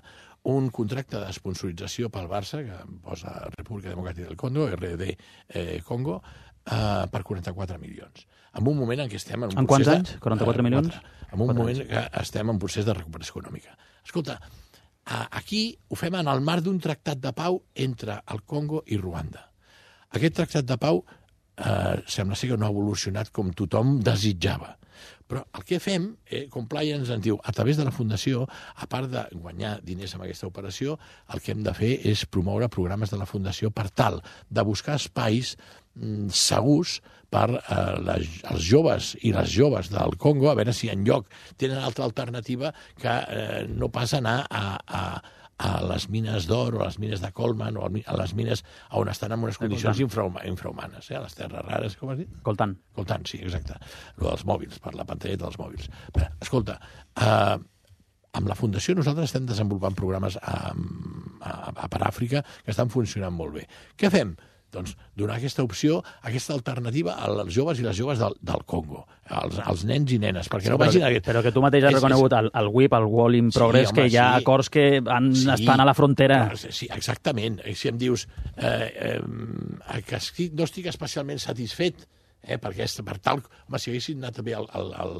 Speaker 2: un contracte d'esponsorització pel Barça, que posa República Democràtica del Congo, R D eh, Congo, eh, per quaranta-quatre milions. En un moment en què estem en un
Speaker 1: en
Speaker 2: procés...
Speaker 1: En quants anys? quaranta-quatre milions?
Speaker 2: quatre. En un moment anys. que estem en procés de recuperació econòmica. Escolta, aquí ho fem en el marc d'un tractat de pau entre el Congo i Ruanda. Aquest tractat de pau eh, sembla ser que no ha evolucionat com tothom desitjava. Però el que fem, eh, Compliance ens diu, a través de la Fundació, a part de guanyar diners amb aquesta operació, el que hem de fer és promoure programes de la Fundació per tal de buscar espais mm, segurs per eh, les, els joves i les joves del Congo, a veure si en lloc tenen altra alternativa que eh, no pas anar a, a, a les mines d'or o a les mines de Colman o a les mines on estan en unes condicions infrahuma, infrahumanes, eh? A les terres rares, com has dit?
Speaker 1: Coltan.
Speaker 2: Coltan, sí, exacte. Lo dels mòbils, per la pantalleta dels mòbils. Però, escolta, eh, amb la Fundació nosaltres estem desenvolupant programes a, a, a per Àfrica que estan funcionant molt bé. Què fem? Doncs donar aquesta opció, aquesta alternativa als joves i les joves del, del Congo, als, als nens i nenes, perquè sí, no vagin...
Speaker 1: Però, però que tu mateix has és, reconegut el, el W I P, el World in Progress, sí, home, que hi ha sí. acords que han, sí, estan a la frontera.
Speaker 2: Sí, exactament. Si em dius eh, eh, que estic, no estic especialment satisfet, eh, perquè és, per tal... Home, si haguessin anat bé al, al, al,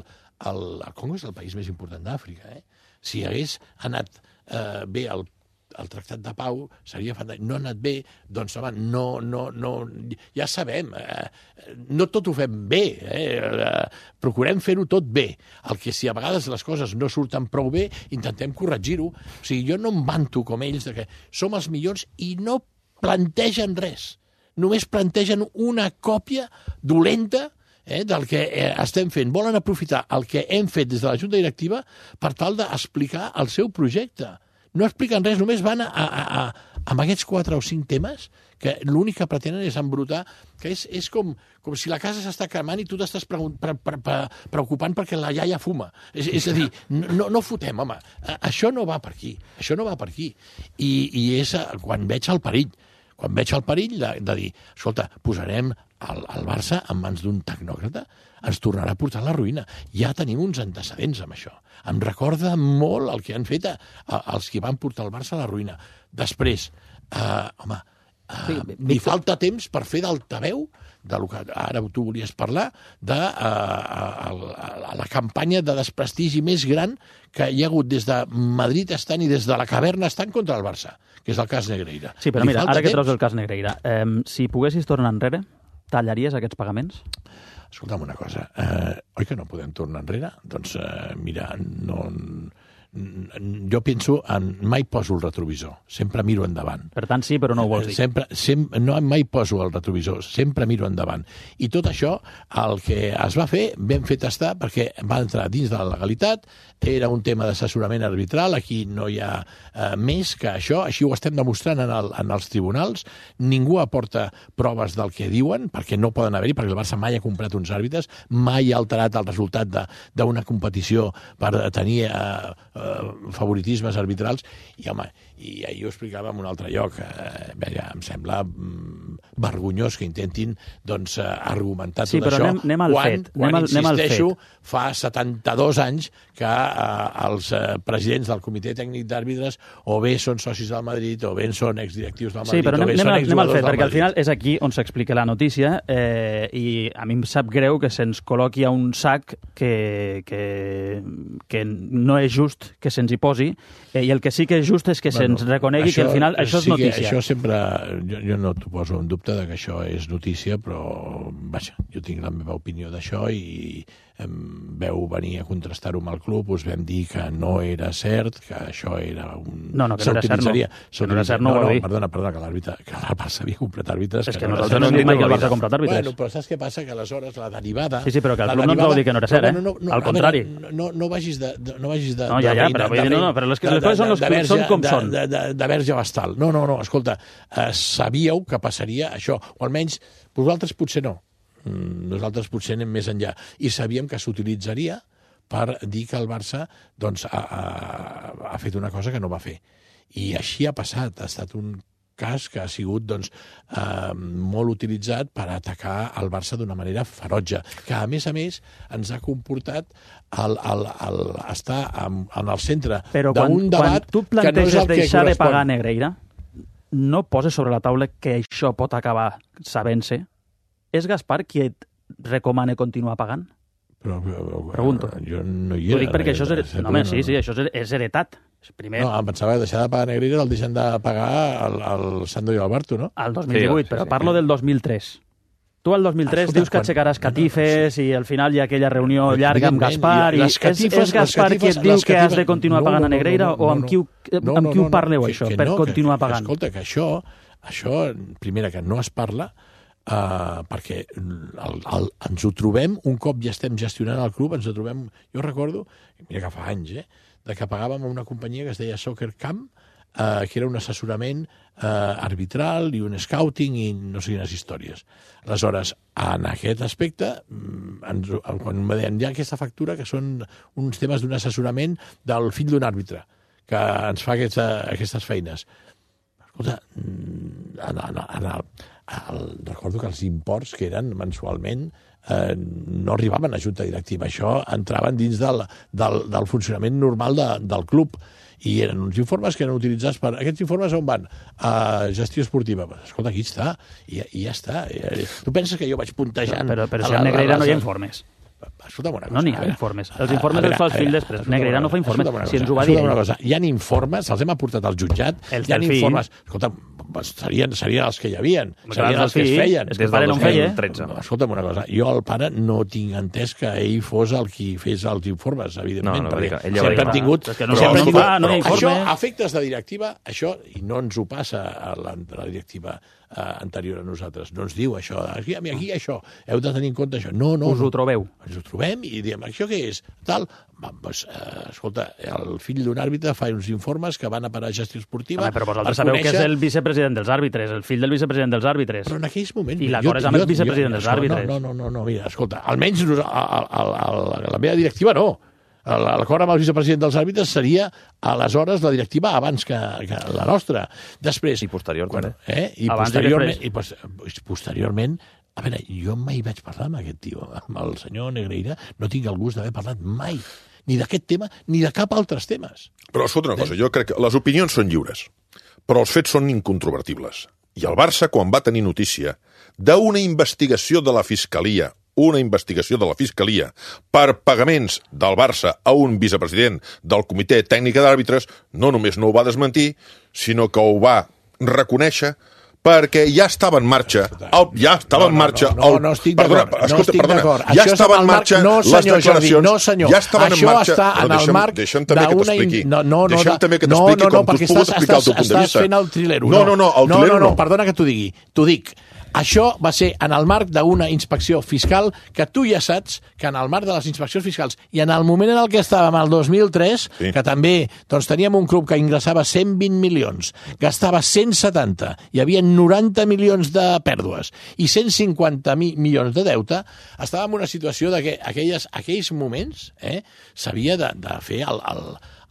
Speaker 2: al, el Congo és el país més important d'Àfrica, eh? Si hagués anat eh, bé al el tractat de pau seria fantàstic. No ha anat bé, doncs home, no, no, no, ja sabem, eh, no tot ho fem bé, eh, procurem fer-ho tot bé. El que si a vegades les coses no surten prou bé, intentem corregir-ho. O sigui, jo no em vanto com ells de que som els millors i no plantegen res. Només plantegen una còpia dolenta Eh, del que eh, estem fent. Volen aprofitar el que hem fet des de la Junta Directiva per tal d'explicar el seu projecte. No expliquen res, només van a, a, a, amb aquests quatre o cinc temes que l'únic que pretenen és embrutar, que és, és com, com si la casa s'està cremant i tu t'estàs pre, pre, pre, pre, preocupant perquè la iaia fuma. És, és a dir, no, no fotem, home. Això no va per aquí. Això no va per aquí. I, i és quan veig el perill. Quan veig el perill de, de dir, escolta, posarem el, el Barça en mans d'un tecnòcrata, ens tornarà a portar a la ruïna. Ja tenim uns antecedents amb això. Em recorda molt el que han fet a, a, els que van portar el Barça a la ruïna. Després, eh, home, eh, sí, li falta temps per fer d'altaveu del que ara tu volies parlar, de uh, a, a la campanya de desprestigi més gran que hi ha hagut des de Madrid estant i des de la caverna estant contra el Barça, que és el cas Negreira.
Speaker 1: Sí, però Li mira, ara que treus el cas Negreira, eh, si poguessis tornar enrere, tallaries aquests pagaments?
Speaker 2: Escolta'm una cosa, eh, oi que no podem tornar enrere? Doncs eh, mira, no... jo penso en... mai poso el retrovisor, sempre miro endavant.
Speaker 1: Per tant, sí, però no ho vols dir.
Speaker 2: Sempre, sempre, no mai poso el retrovisor, sempre miro endavant. I tot això, el que es va fer, ben fet està, perquè va entrar dins de la legalitat, era un tema d'assessorament arbitral, aquí no hi ha eh, més que això, així ho estem demostrant en, el, en els tribunals, ningú aporta proves del que diuen, perquè no poden haver-hi, perquè el Barça mai ha comprat uns àrbitres, mai ha alterat el resultat d'una competició per tenir eh, favoritismes arbitrals, i home, i ahir ho explicava en un altre lloc, eh, ja, em sembla mm, vergonyós que intentin doncs, argumentar
Speaker 1: sí,
Speaker 2: tot això
Speaker 1: anem, anem al
Speaker 2: quan,
Speaker 1: fet,
Speaker 2: quan
Speaker 1: anem al,
Speaker 2: insisteixo,
Speaker 1: anem al fet.
Speaker 2: fa setanta-dos anys que eh, els eh, presidents del Comitè Tècnic d'Àrbitres o bé són socis del Madrid o bé són exdirectius del Madrid
Speaker 1: sí, però
Speaker 2: o
Speaker 1: anem,
Speaker 2: bé
Speaker 1: anem,
Speaker 2: són
Speaker 1: anem al
Speaker 2: exjugadors
Speaker 1: fet,
Speaker 2: del
Speaker 1: perquè al
Speaker 2: Madrid.
Speaker 1: final és aquí on s'explica la notícia eh, i a mi em sap greu que se'ns col·loqui a un sac que, que, que no és just que se'ns hi posi eh, i el que sí que és just és que
Speaker 2: Bueno,
Speaker 1: se'ns reconegui
Speaker 2: això,
Speaker 1: que al final això és
Speaker 2: sí que
Speaker 1: notícia.
Speaker 2: Això sempre, jo, jo no t'ho poso en dubte de que això és notícia, però vaja, jo tinc la meva opinió d'això i em veu venir a contrastar-ho amb el club, us vam dir que no era cert, que això era un...
Speaker 1: No, no, que no era cert, no. Que no era cert, no ho
Speaker 2: no,
Speaker 1: vau
Speaker 2: no,
Speaker 1: dir.
Speaker 2: perdona, perdona, que l'àrbitre, que el Barça havia comprat àrbitres...
Speaker 1: És que,
Speaker 2: que no
Speaker 1: nosaltres no hem dit mai que el Barça ha comprat àrbitres.
Speaker 2: Bueno, però saps què passa? Que aleshores la derivada...
Speaker 1: Sí, sí, però que el club no ens vau dir que no era cert, eh?
Speaker 2: No, no,
Speaker 1: al contrari.
Speaker 2: Veure, no, no vagis de... No, vagis de
Speaker 1: no, ja, ja, però, de, no, no, però les, les coses són, les, són com
Speaker 2: de,
Speaker 1: són.
Speaker 2: De, de, de verge bastal. No, no, no, escolta, eh, sabíeu que passaria això, o almenys vosaltres potser no. Nosaltres potser anem més enllà. I sabíem que s'utilitzaria per dir que el Barça doncs, ha, ha, ha fet una cosa que no va fer. I així ha passat. Ha estat un cas que ha sigut doncs, eh, molt utilitzat per atacar el Barça d'una manera ferotge, que a més a més ens ha comportat el, el, el estar en, en el centre d'un debat
Speaker 1: quan tu
Speaker 2: que no és el que
Speaker 1: deixar
Speaker 2: correspon.
Speaker 1: de pagar Negreira, no poses sobre la taula que això pot acabar sabent-se. És Gaspar qui et recomana continuar pagant?
Speaker 2: Però, però,
Speaker 1: Pregunto.
Speaker 2: Jo no hi
Speaker 1: Ho
Speaker 2: era.
Speaker 1: dic perquè això és... Her... No, home, sí, sí, això és heretat. Primer...
Speaker 2: No, em pensava que deixar de pagar Negreira el deixen de pagar el, el Sandro i Alberto, no?
Speaker 1: El dos mil divuit, sí, però sí, parlo sí. del dos mil tres. Tu el dos mil tres Escolta, dius que quan... aixecaràs catifes no, no, sí. i al final hi ha aquella reunió llarga amb Gaspar i catifes, és, és Gaspar catifes, qui et diu catifes... que has de continuar no, pagant a Negreira no, no, no, o amb qui, no, amb qui ho parleu, no, això, que, que per no, continuar
Speaker 2: que,
Speaker 1: pagant?
Speaker 2: Escolta, que això, això, primera, que no es parla, Uh, perquè el, el, ens ho trobem, un cop ja estem gestionant el club, ens ho trobem, jo recordo, mira que fa anys, eh, de que pagàvem a una companyia que es deia Soccer Camp, uh, que era un assessorament uh, arbitral i un scouting i no sé quines històries. Aleshores, en aquest aspecte, ens, quan me deien, hi ha aquesta factura que són uns temes d'un assessorament del fill d'un àrbitre, que ens fa aquesta, aquestes feines. Escolta, en, en, en el, el, recordo que els imports que eren mensualment eh, no arribaven a junta directiva. Això entraven dins del, del, del funcionament normal de, del club i eren uns informes que eren utilitzats per... Aquests informes on van? A gestió esportiva. Pues, escolta, aquí està, i, i ja està. Tu penses que jo vaig puntejant...
Speaker 1: Però, però si a Negreira no hi ha informes.
Speaker 2: Escolta'm una cosa.
Speaker 1: No n'hi ha informes. Els informes els fa el fill després. Negreira no fa informes. Si ens ho va dir
Speaker 2: una cosa. Hi ha informes, els hem aportat al jutjat.
Speaker 1: Els
Speaker 2: hi ha
Speaker 1: del
Speaker 2: informes. Escolta'm, serien, serien els que hi havien. Serien els que es feien.
Speaker 1: És que el pare no en feia.
Speaker 2: Escolta'm una cosa. Jo al pare no tinc entès que ell fos el qui fes els informes, evidentment.
Speaker 7: No, no,
Speaker 2: perquè
Speaker 7: ell ja
Speaker 2: sempre hem tingut...
Speaker 1: És que no sempre hem tingut... No hi ha informe.
Speaker 2: Això, a efectes de directiva, això, i no ens ho passa a la, a la directiva eh, anterior a nosaltres, no ens diu això. Aquí, aquí això, heu de tenir en compte això. No, no.
Speaker 1: Us ho trobeu.
Speaker 2: Ens ho trobem i diem, això què és? Tal, doncs, eh, escolta, el fill d'un àrbitre fa uns informes que van a parar a gestió esportiva.
Speaker 1: Home, però vosaltres sabeu conèixer... que és el vicepresident dels àrbitres, el fill del vicepresident dels àrbitres.
Speaker 2: Però en aquells moments...
Speaker 1: I l'acord és amb el vicepresident jo, dels àrbitres.
Speaker 2: No, no, no, no, mira, escolta, almenys a, a, a, a la meva directiva no. L'acord amb el vicepresident dels àrbitres seria aleshores la directiva abans que, que la nostra. Després...
Speaker 7: I posterior,
Speaker 2: quan,
Speaker 7: també.
Speaker 2: Eh? I
Speaker 1: abans
Speaker 2: posteriorment, i pos, posteriorment a veure, jo mai vaig parlar amb aquest tio, amb el senyor Negreira, no tinc el gust d'haver parlat mai, ni d'aquest tema, ni de cap altres temes.
Speaker 3: Però escolta una cosa, jo crec que les opinions són lliures, però els fets són incontrovertibles. I el Barça, quan va tenir notícia d'una investigació de la Fiscalia, una investigació de la Fiscalia per pagaments del Barça a un vicepresident del Comitè Tècnic d'Àrbitres, no només no ho va desmentir, sinó que ho va reconèixer perquè ja estava en marxa, el, ja estava no, en marxa...
Speaker 2: No, no, no, no estic d'acord, no estic d'acord.
Speaker 3: Ja estava en marxa
Speaker 2: no,
Speaker 3: les declaracions...
Speaker 2: No, senyor,
Speaker 3: ja estaven
Speaker 2: això
Speaker 3: en marxa,
Speaker 2: està en el
Speaker 3: deixa'm,
Speaker 2: marc
Speaker 3: deixa'm també que t'expliqui.
Speaker 2: No, no, no,
Speaker 3: deixa'm també que t'expliqui
Speaker 2: no, no,
Speaker 3: com tu has pogut explicar el teu punt de vista.
Speaker 2: Estàs fent el trilero.
Speaker 3: No, no, no, el trilero
Speaker 2: no. No, no, perdona que t'ho digui. T'ho dic. Això va ser en el marc d'una inspecció fiscal que tu ja saps que en el marc de les inspeccions fiscals i en el moment en el que estàvem, el dos mil tres, sí. que també doncs, teníem un club que ingressava cent vint milions, gastava cent setanta, hi havia noranta milions de pèrdues i cent cinquanta milions de deute, estàvem en una situació de que aquelles, aquells moments eh, s'havia de, de fer el... el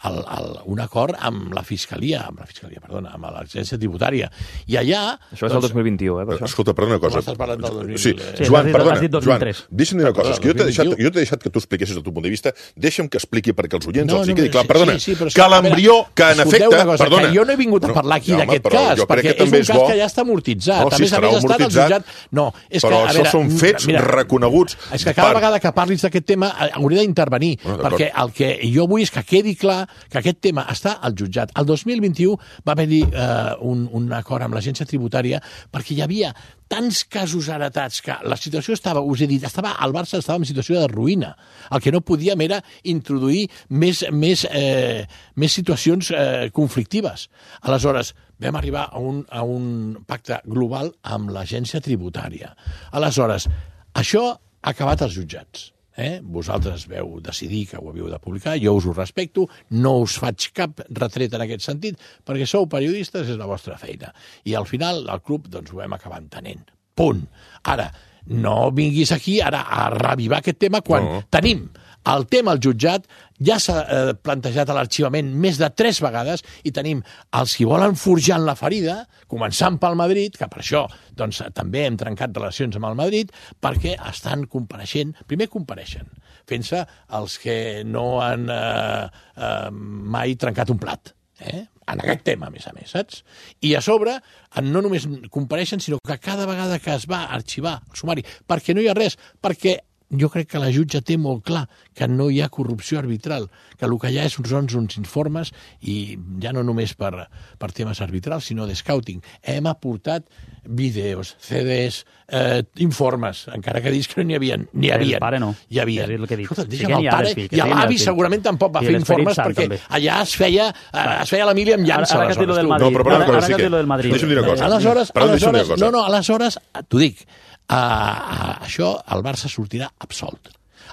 Speaker 2: el, el, un acord amb la Fiscalia, amb la Fiscalia, perdona, amb l'Agència Tributària. I allà...
Speaker 7: Això és el dos mil vint-i-u, eh? Per això.
Speaker 3: Escolta, perdona una cosa.
Speaker 2: Com estàs parlant del dos mil...
Speaker 3: Sí,
Speaker 1: sí,
Speaker 3: Joan,
Speaker 1: has dit,
Speaker 3: perdona,
Speaker 1: has dit dos mil tres.
Speaker 3: Joan, deixa'm dir una cosa. És que jo t'he deixat, jo t'he deixat que tu expliquessis el teu punt de vista. Deixa'm que expliqui perquè els oients
Speaker 2: No,
Speaker 3: els hi
Speaker 2: no,
Speaker 3: quedi clar.
Speaker 2: sí,
Speaker 3: Perdona,
Speaker 2: sí, sí, però és
Speaker 3: que
Speaker 2: que, a
Speaker 3: l'embrió,
Speaker 2: veure,
Speaker 3: que en
Speaker 2: escolteu
Speaker 3: efecte...
Speaker 2: una cosa,
Speaker 3: Perdona.
Speaker 2: que jo no he vingut a parlar aquí
Speaker 3: No,
Speaker 2: d'aquest
Speaker 3: home, però
Speaker 2: cas,
Speaker 3: jo crec
Speaker 2: perquè
Speaker 3: que
Speaker 2: és
Speaker 3: també
Speaker 2: un
Speaker 3: és
Speaker 2: cas
Speaker 3: bo.
Speaker 2: que ja està amortitzat.
Speaker 3: No,
Speaker 2: a
Speaker 3: sí,
Speaker 2: més a
Speaker 3: estarà
Speaker 2: més, està en el
Speaker 3: amortitzat,
Speaker 2: jutjat... No, és
Speaker 3: però
Speaker 2: que, a
Speaker 3: això
Speaker 2: veure,
Speaker 3: són fets
Speaker 2: mira,
Speaker 3: reconeguts.
Speaker 2: És que cada
Speaker 3: per-
Speaker 2: vegada que parlis d'aquest tema eh, hauré d'intervenir,
Speaker 3: Bueno, d'acord.
Speaker 2: perquè el que jo vull és que quedi clar que aquest tema està al jutjat. El dos mil vint-i-u va haver-hi eh, un, un acord amb l'agència tributària perquè hi havia tants casos heretats que la situació estava, us he dit, estava, el Barça estava en situació de ruïna. El que no podíem era introduir més, més, eh, més situacions eh, conflictives. Aleshores, vam arribar a un, a un pacte global amb l'agència tributària. Aleshores, això ha acabat als jutjats. Eh? Vosaltres veu decidir que ho havíeu de publicar, jo us ho respecto, no us faig cap retret en aquest sentit, perquè sou periodistes, és la vostra feina. I al final el club doncs, ho vam acabar entenent. Punt. Ara, no vinguis aquí ara a revivar aquest tema quan no. tenim el tema al jutjat, ja s'ha eh, plantejat a l'arxivament més de tres vegades i tenim els qui volen forjar en la ferida, començant pel Madrid, que per això doncs, també hem trencat relacions amb el Madrid, perquè estan compareixent, primer compareixen, fent-se els que no han eh, eh, mai trencat un plat. Eh? En aquest tema, a més a més, saps? I a sobre, no només compareixen, sinó que cada vegada que es va arxivar el sumari, perquè no hi ha res, perquè jo crec que la jutge té molt clar que no hi ha corrupció arbitral, que el que hi ha és uns, uns informes, i ja no només per, per temes arbitrals, sinó de scouting. Hem aportat vídeos, C Ds, eh, informes, encara que dius que no n'hi havia. N'hi havia.
Speaker 1: El pare no.
Speaker 2: Hi havia.
Speaker 1: És el que dic.
Speaker 2: Escolta,
Speaker 1: Sí
Speaker 2: deixa'm
Speaker 1: que
Speaker 2: el
Speaker 1: n'hi ha
Speaker 2: pare,
Speaker 1: del fill, que
Speaker 2: i
Speaker 1: sí que n'hi ha
Speaker 2: l'avi
Speaker 1: del fill.
Speaker 2: segurament tampoc va
Speaker 1: I
Speaker 2: fer
Speaker 1: l'Esperit
Speaker 2: informes,
Speaker 1: Sant,
Speaker 2: perquè
Speaker 1: també.
Speaker 2: allà es feia, eh, es feia la mili amb llança.
Speaker 1: Ara, ara que et dic lo del
Speaker 2: aleshores, tu.
Speaker 1: Madrid.
Speaker 3: No, però perdona
Speaker 1: ara,
Speaker 3: una cosa,
Speaker 1: ara
Speaker 3: sí
Speaker 1: que et
Speaker 3: que-
Speaker 1: dic lo del Madrid.
Speaker 3: deixa'm dir una cosa.
Speaker 2: Aleshores,
Speaker 3: Perdona, deixa'm dir una
Speaker 2: aleshores,
Speaker 3: cosa.
Speaker 2: no, no, aleshores, t'ho dic, a, a, això el Barça sortirà absolt.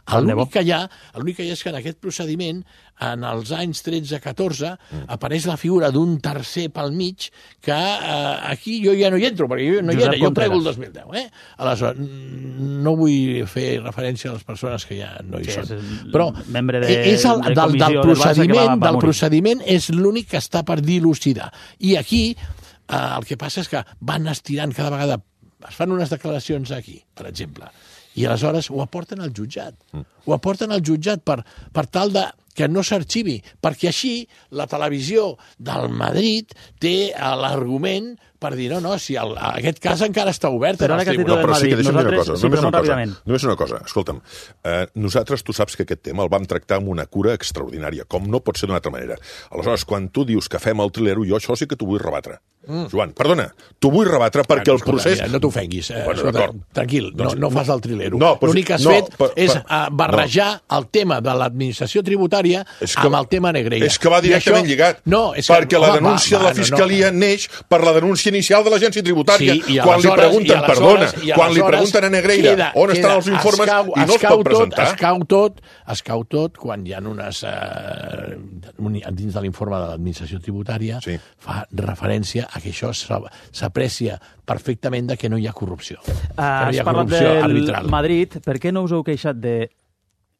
Speaker 2: L'únic que hi ha, l'únic que hi ha és que en aquest procediment, en els anys tretze catorze, mm. apareix la figura d'un tercer pel mig que eh, aquí jo ja no hi entro, perquè jo no hi
Speaker 1: Josep
Speaker 2: era, jo
Speaker 1: Contreras.
Speaker 2: prego el dos mil deu. Eh? Aleshores, no vull fer referència a les persones que ja no hi
Speaker 1: Sí,
Speaker 2: són.
Speaker 1: és el
Speaker 2: Però
Speaker 1: membre de-
Speaker 2: és el,
Speaker 1: de
Speaker 2: del,
Speaker 1: comissió
Speaker 2: del
Speaker 1: del Barça que va-
Speaker 2: procediment,
Speaker 1: va
Speaker 2: del
Speaker 1: morir.
Speaker 2: procediment és l'únic que està per dilucidar. I aquí eh, el que passa és que van estirant cada vegada, es fan unes declaracions aquí, per exemple, i aleshores ho aporten al jutjat. Mm. Ho aporten al jutjat per, per tal de que no s'arxivi, perquè així la televisió del Madrid té eh, l'argument per dir, no, no, si el, aquest cas encara està obert.
Speaker 1: Però
Speaker 2: en
Speaker 1: ara
Speaker 2: els
Speaker 1: que has dit
Speaker 3: No,
Speaker 1: del
Speaker 3: però sí que
Speaker 1: Madrid,
Speaker 3: deixa'm dir una
Speaker 1: nosaltres-
Speaker 3: cosa.
Speaker 1: sí,
Speaker 3: Només
Speaker 1: però
Speaker 3: una
Speaker 1: molt
Speaker 3: cosa.
Speaker 1: ràpidament.
Speaker 3: Només una cosa. Escolta'm, eh, nosaltres, tu saps que aquest tema el vam tractar amb una cura extraordinària, com no pot ser d'una altra manera. Aleshores, quan tu dius que fem el trilero, jo això sí que t'ho vull rebatre. Mm. Joan, perdona, t'ho vull rebatre perquè
Speaker 2: Bueno,
Speaker 3: el procés...
Speaker 2: Mira, no t'ofenguis. Eh,
Speaker 3: Bueno,
Speaker 2: escolta,
Speaker 3: d'acord.
Speaker 2: tranquil,
Speaker 3: Doncs-
Speaker 2: no, no fas el trilero.
Speaker 3: No, però
Speaker 2: L'únic que has
Speaker 3: no,
Speaker 2: fet
Speaker 3: per-
Speaker 2: és
Speaker 3: per-
Speaker 2: eh, barrejar el tema de l'administració tributària
Speaker 3: És que-
Speaker 2: amb el tema Negreira.
Speaker 3: És que va directament
Speaker 2: I això-
Speaker 3: lligat.
Speaker 2: No, és que,
Speaker 3: perquè la
Speaker 2: home,
Speaker 3: denúncia
Speaker 2: va,
Speaker 3: de la
Speaker 2: va, no,
Speaker 3: Fiscalia
Speaker 2: no.
Speaker 3: neix per la denúncia inicial de l'agència tributària.
Speaker 2: Sí, i
Speaker 3: quan li
Speaker 2: aleshores-
Speaker 3: pregunten,
Speaker 2: i aleshores-
Speaker 3: perdona,
Speaker 2: i
Speaker 3: quan li
Speaker 2: aleshores
Speaker 3: pregunten a Negreira
Speaker 2: queda-
Speaker 3: on estan
Speaker 2: queda-
Speaker 3: els informes
Speaker 2: es cau,
Speaker 3: i no
Speaker 2: es
Speaker 3: es
Speaker 2: cau
Speaker 3: pot presentar.
Speaker 2: Tot, es cau tot, es cau tot quan hi ha unes... Eh, un- dins de l'informe de l'administració tributària
Speaker 3: Sí.
Speaker 2: fa referència a que això s'a- s'aprecia perfectament de que no hi ha corrupció. Que no
Speaker 1: Has
Speaker 2: hi ha
Speaker 1: parlat
Speaker 2: corrupció
Speaker 1: del
Speaker 2: arbitral.
Speaker 1: Madrid. Per què no us heu queixat de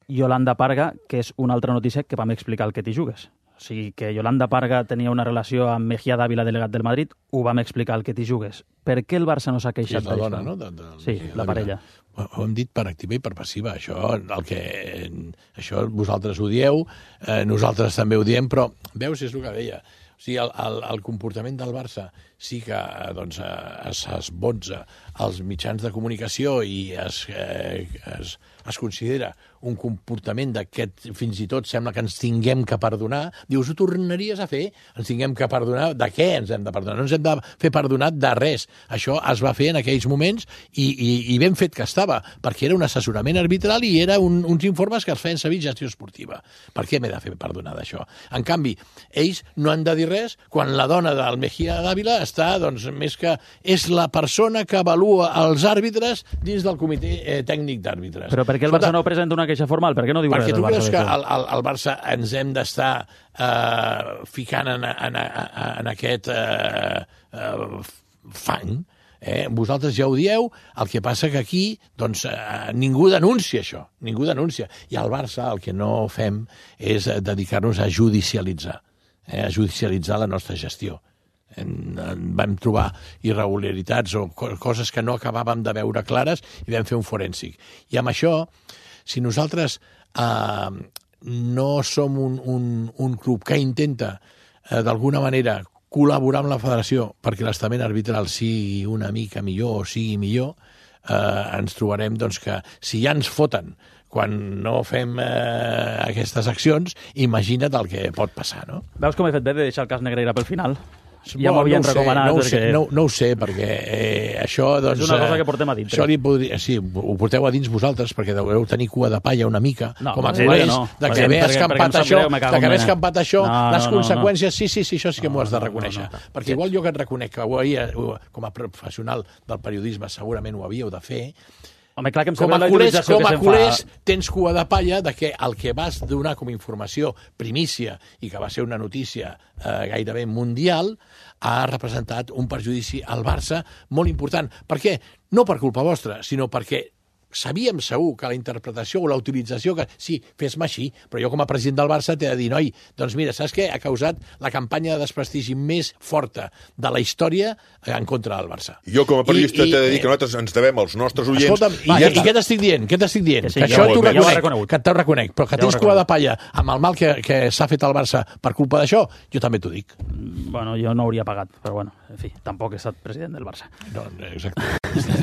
Speaker 1: Yolanda Parga, que és una altra notícia que vam explicar el que t'hi jugues? O sigui, que Yolanda Parga tenia una relació amb Mejía Dávila, delegat del Madrid, ho vam explicar el que t'hi jugues. Per què el Barça no s'ha
Speaker 2: Sí,
Speaker 1: queixat
Speaker 2: és la
Speaker 1: d'això?
Speaker 2: dona, no? De, de,
Speaker 1: Sí,
Speaker 2: de,
Speaker 1: la parella.
Speaker 2: Ho, ho hem dit per activa i per passiva. Això, el que, això vosaltres ho dieu, eh, nosaltres també ho diem, però veus, és el que deia. O sigui, el, el, el comportament del Barça sí que eh, doncs, eh, es esbotza als mitjans de comunicació i es, eh, es, es considera un comportament d'aquest, fins i tot sembla que ens tinguem que perdonar. Dius, ho tornaries a fer? Ens tinguem que perdonar? De què ens hem de perdonar? No ens hem de fer perdonar de res. Això es va fer en aquells moments i, i, i ben fet que estava, perquè era un assessorament arbitral i era un, uns informes que es feien servir gestió esportiva. Per què m'he de fer perdonar d'això? En canvi, ells no han de dir res quan la dona del Mejía Dávila està, doncs, més que... És la persona que avalua els àrbitres dins del comitè eh, tècnic d'àrbitres.
Speaker 1: Però per què el Barça no presenta una queixa formal? Per què no diu res
Speaker 2: Perquè
Speaker 1: del
Speaker 2: tu
Speaker 1: Barça?
Speaker 2: creus que
Speaker 1: d'això?
Speaker 2: al, al, al Barça ens hem d'estar eh, ficant en, en, en, en aquest eh, eh, fang? Eh? Vosaltres ja ho dieu, el que passa que aquí doncs, eh, ningú denuncia això, ningú denuncia. I al Barça el que no fem és dedicar-nos a judicialitzar, eh? a judicialitzar la nostra gestió. En, en vam trobar irregularitats o co coses que no acabàvem de veure clares i vam fer un forènsic. I amb això, si nosaltres eh, no som un, un, un club que intenta eh, d'alguna manera col·laborar amb la federació perquè l'estament arbitral sigui una mica millor o sigui millor, eh, ens trobarem doncs, que si ja ens foten quan no fem eh, aquestes accions, imagina't el que pot passar, no?
Speaker 1: Veus com he fet bé de deixar el cas Negreira pel final? Ja
Speaker 2: Bueno,
Speaker 1: m'ho havien
Speaker 2: no ho sé,
Speaker 1: recomanat.
Speaker 2: No ho, sé,
Speaker 1: perquè...
Speaker 2: no, no ho sé, perquè eh, això... Doncs,
Speaker 1: és una cosa que portem a dintre.
Speaker 2: Això li podria, sí, ho porteu a dins vosaltres, perquè deveu tenir cua de palla una mica,
Speaker 1: no,
Speaker 2: com a
Speaker 1: sí,
Speaker 2: culers,
Speaker 1: no.
Speaker 2: de que haver escampat això, de que haver escampat això,
Speaker 1: no,
Speaker 2: les
Speaker 1: no,
Speaker 2: conseqüències,
Speaker 1: no, no.
Speaker 2: sí, sí, sí, això sí que m'ho has de reconèixer.
Speaker 1: No, no, no.
Speaker 2: Perquè igual jo que et reconec que ho havia, com a professional del periodisme segurament ho havíeu de fer,
Speaker 1: Home, clar que em
Speaker 2: com
Speaker 1: sembla
Speaker 2: a
Speaker 1: la
Speaker 2: culers,
Speaker 1: utilització
Speaker 2: com a
Speaker 1: que se'n
Speaker 2: culers
Speaker 1: fa.
Speaker 2: tens cua de palla de que el que vas donar com a informació primícia i que va ser una notícia eh, gairebé mundial ha representat un perjudici al Barça molt important. Per què? No per culpa vostra, sinó perquè sabíem segur que la interpretació o la utilització, que sí, fes-me així, però jo com a president del Barça t'he de dir, noi, doncs mira, saps què? Ha causat la campanya de desprestigi més forta de la història en contra del Barça.
Speaker 3: Jo com a periodista t'he de dir que nosaltres ens devem als nostres oients...
Speaker 2: Escolta'm, i, i, i què t'estic dient? Què t'estic dient?
Speaker 1: Que sí,
Speaker 2: que
Speaker 1: ja
Speaker 2: això
Speaker 1: ho-
Speaker 2: t'ho
Speaker 1: ja ho he
Speaker 2: reconec,
Speaker 1: reconegut.
Speaker 2: que t'ho reconec, però que
Speaker 1: Ja ho he
Speaker 2: tens cua de
Speaker 1: reconegut.
Speaker 2: palla amb el mal que, que s'ha fet al Barça per culpa d'això, jo també t'ho dic.
Speaker 1: Bueno, jo no hauria pagat, però bueno, en fi, tampoc he estat president del Barça.
Speaker 2: No, exacte.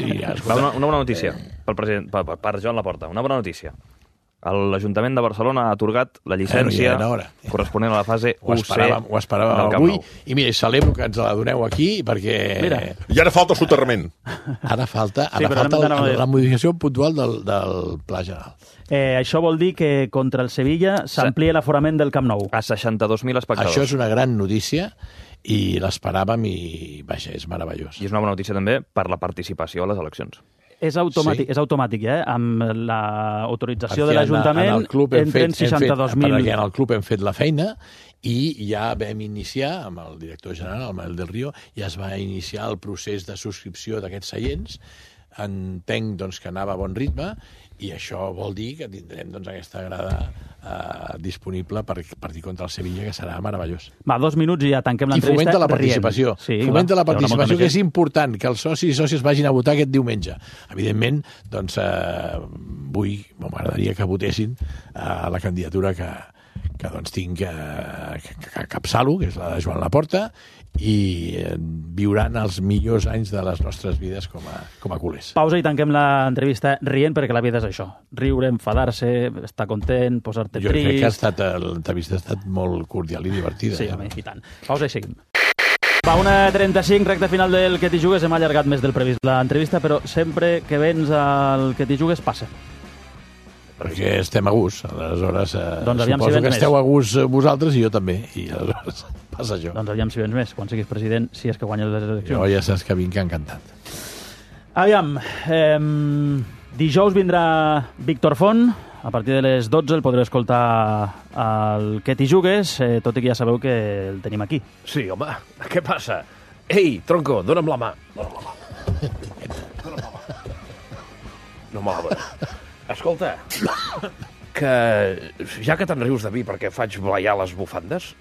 Speaker 2: I,
Speaker 7: Va, una, una bona notícia pel president, per, per, per Joan Laporta. Una bona notícia. L'Ajuntament de Barcelona ha atorgat la llicència
Speaker 2: Bueno, ja era hora.
Speaker 7: corresponent a la fase
Speaker 2: Ho
Speaker 7: u ce
Speaker 2: esperàvem, ho esperàvem
Speaker 7: del Camp
Speaker 2: avui,
Speaker 7: Nou.
Speaker 2: i mira, celebro que ens la doneu aquí, perquè...
Speaker 1: Mira.
Speaker 3: I ara falta el soterrament.
Speaker 2: Ara falta,
Speaker 1: Sí,
Speaker 2: ara
Speaker 1: però
Speaker 2: falta
Speaker 1: anem d'anar a
Speaker 2: el,
Speaker 1: veure.
Speaker 2: la modificació puntual del, del Pla General.
Speaker 1: Eh, això vol dir que contra el Sevilla s'amplia l'aforament del Camp Nou.
Speaker 7: A seixanta-dos mil espectadors.
Speaker 2: Això és una gran notícia i l'esperàvem i, vaja, és meravellós.
Speaker 7: I és una bona notícia també per la participació a les eleccions.
Speaker 1: És automàtic,
Speaker 2: Sí.
Speaker 1: és automàtic, eh? Amb l'autorització
Speaker 2: Perquè
Speaker 1: de
Speaker 2: en-
Speaker 1: l'Ajuntament
Speaker 2: en el club hem
Speaker 1: entren
Speaker 2: fet- hem fet-
Speaker 1: seixanta-dos mil...
Speaker 2: Perquè en el club hem fet la feina i ja vam iniciar, amb el director general, el Manuel del Río, ja es va iniciar el procés de subscripció d'aquests seients. Entenc doncs, que anava a bon ritme i això vol dir que tindrem doncs, aquesta grada eh, disponible per partir contra el Sevilla, que serà meravellós.
Speaker 1: Va, dos minuts i ja tanquem
Speaker 2: I
Speaker 1: l'entrevista.
Speaker 2: fomenta la
Speaker 1: rient.
Speaker 2: participació.
Speaker 1: Sí,
Speaker 2: fomenta
Speaker 1: clar,
Speaker 2: la
Speaker 1: hi haurà molta
Speaker 2: participació,
Speaker 1: més
Speaker 2: que és
Speaker 1: gent.
Speaker 2: important, que els socis i sòcies vagin a votar aquest diumenge. Evidentment, doncs, eh, vull, m'agradaria que votessin a la candidatura que, que doncs, tinc eh, que, que, que capçalo, que és la de Joan Laporta, i eh, viuran els millors anys de les nostres vides com a, com a culers.
Speaker 1: Pausa i tanquem l'entrevista rient, perquè la vida és això. Riure, enfadar-se, estar content, posar-te
Speaker 2: Jo crec que ha
Speaker 1: trist...
Speaker 2: estat, l'entrevista ha estat molt cordial i divertida.
Speaker 1: Sí,
Speaker 2: eh?
Speaker 1: home, i tant. Pausa i seguim. Va, una trenta-cinc, recta final del Que t'hi jugues. Hem allargat més del previst l'entrevista, però sempre que vens al Que t'hi jugues passa.
Speaker 2: Perquè estem a gust, aleshores eh,
Speaker 1: Doncs aviam si
Speaker 2: suposo
Speaker 1: vens
Speaker 2: que esteu
Speaker 1: més.
Speaker 2: a gust eh, vosaltres i jo també, i aleshores passa això.
Speaker 1: Doncs aviam si vens més, quan siguis president, si és que guanyes les eleccions.
Speaker 2: Jo ja saps que vinc encantat.
Speaker 1: Aviam, eh, dijous vindrà Víctor Font, a partir de les dotze el podreu escoltar al Que t'hi jugues, eh, tot i que ja sabeu que el tenim aquí.
Speaker 6: Sí, home, què passa? Ei, tronco, dona'm la mà. Dona'm la mà. Dona'm la mà. No me la dona. Escolta, que ja que te'n rius de mi perquè faig blaiar les bufandes...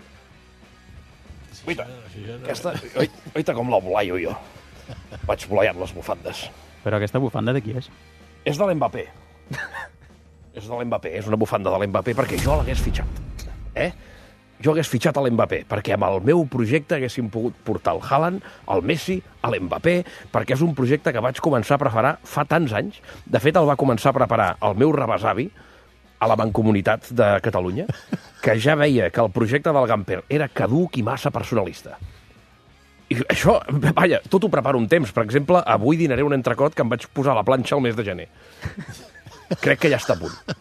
Speaker 6: Oita, aquesta... Oi, oita com la blaio jo. Vaig blaiant les bufandes.
Speaker 1: Però aquesta bufanda de qui és?
Speaker 6: És de l'Mbappé. És de l'Mbappé, és una bufanda de l'Mbappé perquè jo l'hagués fitxat. Eh? Jo hagués fitxat a l'Mbappé, perquè amb el meu projecte haguéssim pogut portar el Haaland, el Messi, a l'Mbappé, perquè és un projecte que vaig començar a preparar fa tants anys. De fet, el va començar a preparar el meu rebesavi a la Mancomunitat de Catalunya, que ja veia que el projecte del Gamper era caduc i massa personalista. I això, vaja, tot ho preparo un temps. Per exemple, avui dinaré un entrecot que em vaig posar a la planxa el mes de gener. Crec que ja està a punt.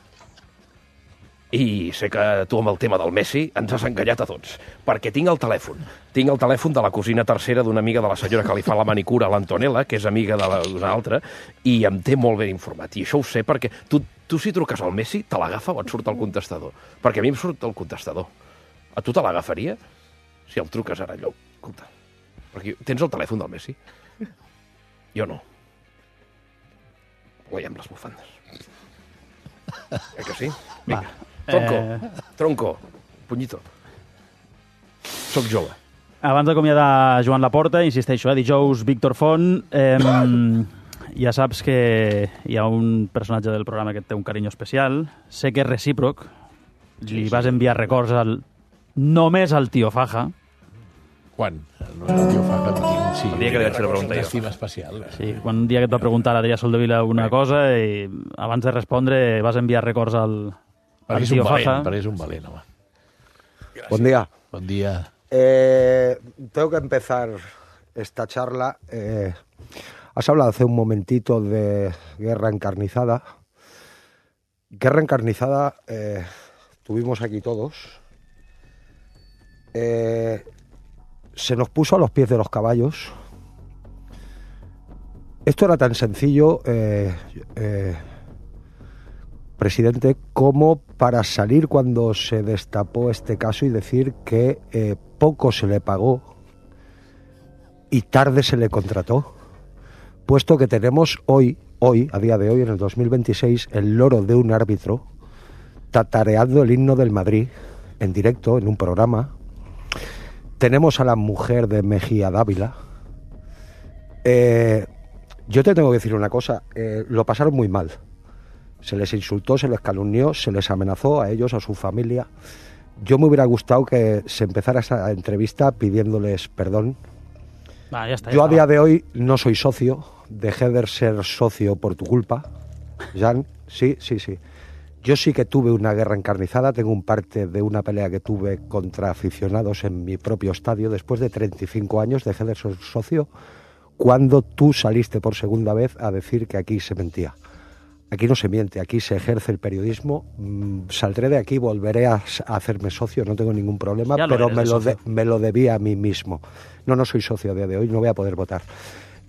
Speaker 6: I sé que tu amb el tema del Messi ens has enganyat a tots, perquè tinc el telèfon. Tinc el telèfon de la cosina tercera d'una amiga de la senyora que li fa la manicura, l'Antonella, que és amiga d'una altra, i em té molt ben informat. I això ho sé perquè tu, tu si truques al Messi, te l'agafa o et surt el contestador? Perquè a mi em surt el contestador. A tu te l'agafaria? Si el truques ara allò. Escolta, perquè tens el telèfon del Messi? Jo no. Guanyem les bufandes. Eh que sí? Vinga. Tronco, eh... tronco, punyito. Soc jove.
Speaker 1: Abans d'acomiadar Joan Laporta, insisteixo, eh, dijous Víctor Font, eh, ja saps que hi ha un personatge del programa que et té un carinyo especial. Sé que és recíproc. Li vas enviar records al... només al tio Faja.
Speaker 2: Quan? No és el tio Faja, tinc, sí.
Speaker 7: El dia que li vaig fer la pregunta jo.
Speaker 2: Estima especial.
Speaker 1: Sí, quan un dia que et va preguntar l'Adrià Soldevila una cosa i abans de respondre vas enviar records al, al tio Faja.
Speaker 2: Perquè és un valent, home.
Speaker 14: Gràcies. Buen día.
Speaker 2: Buen día.
Speaker 14: Eh, tengo que empezar esta charla. Eh, has hablado hace un momentito de guerra encarnizada. Guerra encarnizada eh, tuvimos aquí todos. Eh, se nos puso a los pies de los caballos. Esto era tan sencillo, eh, eh, presidente, como para salir cuando se destapó este caso y decir que eh, poco se le pagó y tarde se le contrató, puesto que tenemos hoy, hoy, a día de hoy, en el dos mil veintiséis, el loro de un árbitro tatareando el himno del Madrid en directo, en un programa. Tenemos a la mujer de Mejía Dávila. Eh, yo te tengo que decir una cosa, eh, lo pasaron muy mal. Se les insultó, se les calumnió, se les amenazó a ellos, a su familia. Yo me hubiera gustado que se empezara esa entrevista pidiéndoles perdón.
Speaker 1: Ah, ya está, ya
Speaker 14: yo
Speaker 1: está.
Speaker 14: A día de hoy no soy socio, dejé de ser socio por tu culpa, Jan, sí, sí, sí. Yo sí que tuve una guerra encarnizada, tengo un parte de una pelea que tuve contra aficionados en mi propio estadio. Después de treinta y cinco años dejé de ser socio cuando tú saliste por segunda vez a decir que aquí se mentía. Aquí no se miente, aquí se ejerce el periodismo. Mm, saldré de aquí, volveré a, a hacerme socio, no tengo ningún problema,
Speaker 1: Ya lo
Speaker 14: pero
Speaker 1: eres,
Speaker 14: me
Speaker 1: de
Speaker 14: lo, de, me lo debía a mí mismo. No, no soy socio a día de hoy, no voy a poder votar.